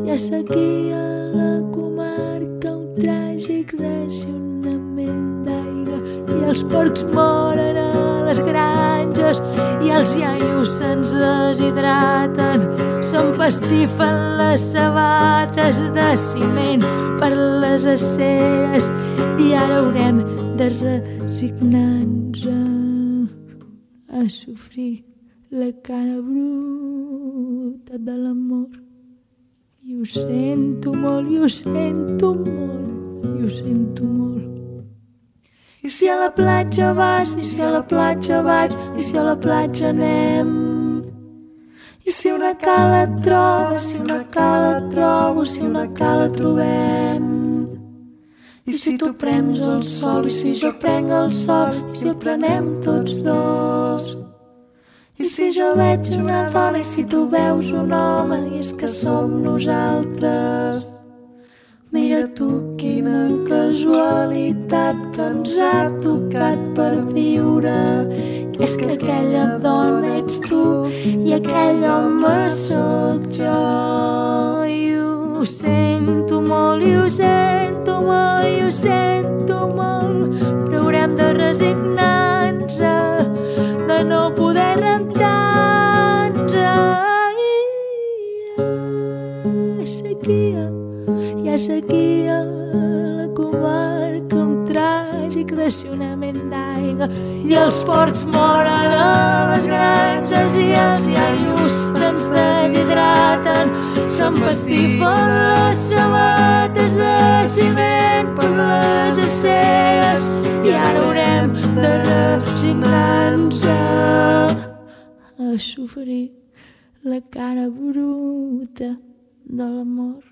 hi ha sequia a la comarca, un tràgic racionament d'aigua, i els porcs moren a les granges i els iaios se'ns deshidraten, s'empastifen les sabates de ciment per les aceres i ara haurem de resignar-nos a, a sofrir la cara bruta de l'amor I ho sento molt, i ho sento molt, i ho sento molt. I si a la platja vas, i si a la platja vaig, i si a la platja anem. I si una cala et trobes, si una cala et trobo, si una cala trobem. I si tu prens el sol, i si jo prenc el sol, i si el prenem tots dos. I si jo veig una dona, i si tu veus un home, i és que som nosaltres. Mira tu quina casualitat que ens ha tocat per viure. És que aquella dona ets tu i aquell home sóc jo. I ho sento molt, i ho sento molt, i ho sento molt, però haurem de resignar-nos, de no poder rentar-nos. Hi ha sequia, hi ha sequia a la comarca, un tràgic racionament d'aigua, i els porcs moren a les granges, i els iaios se'ns deshidraten, s'empastifen les sabates de ciment per les aceres, i ara haurem de resignar-nos a sofrir la cara bruta de l'amor.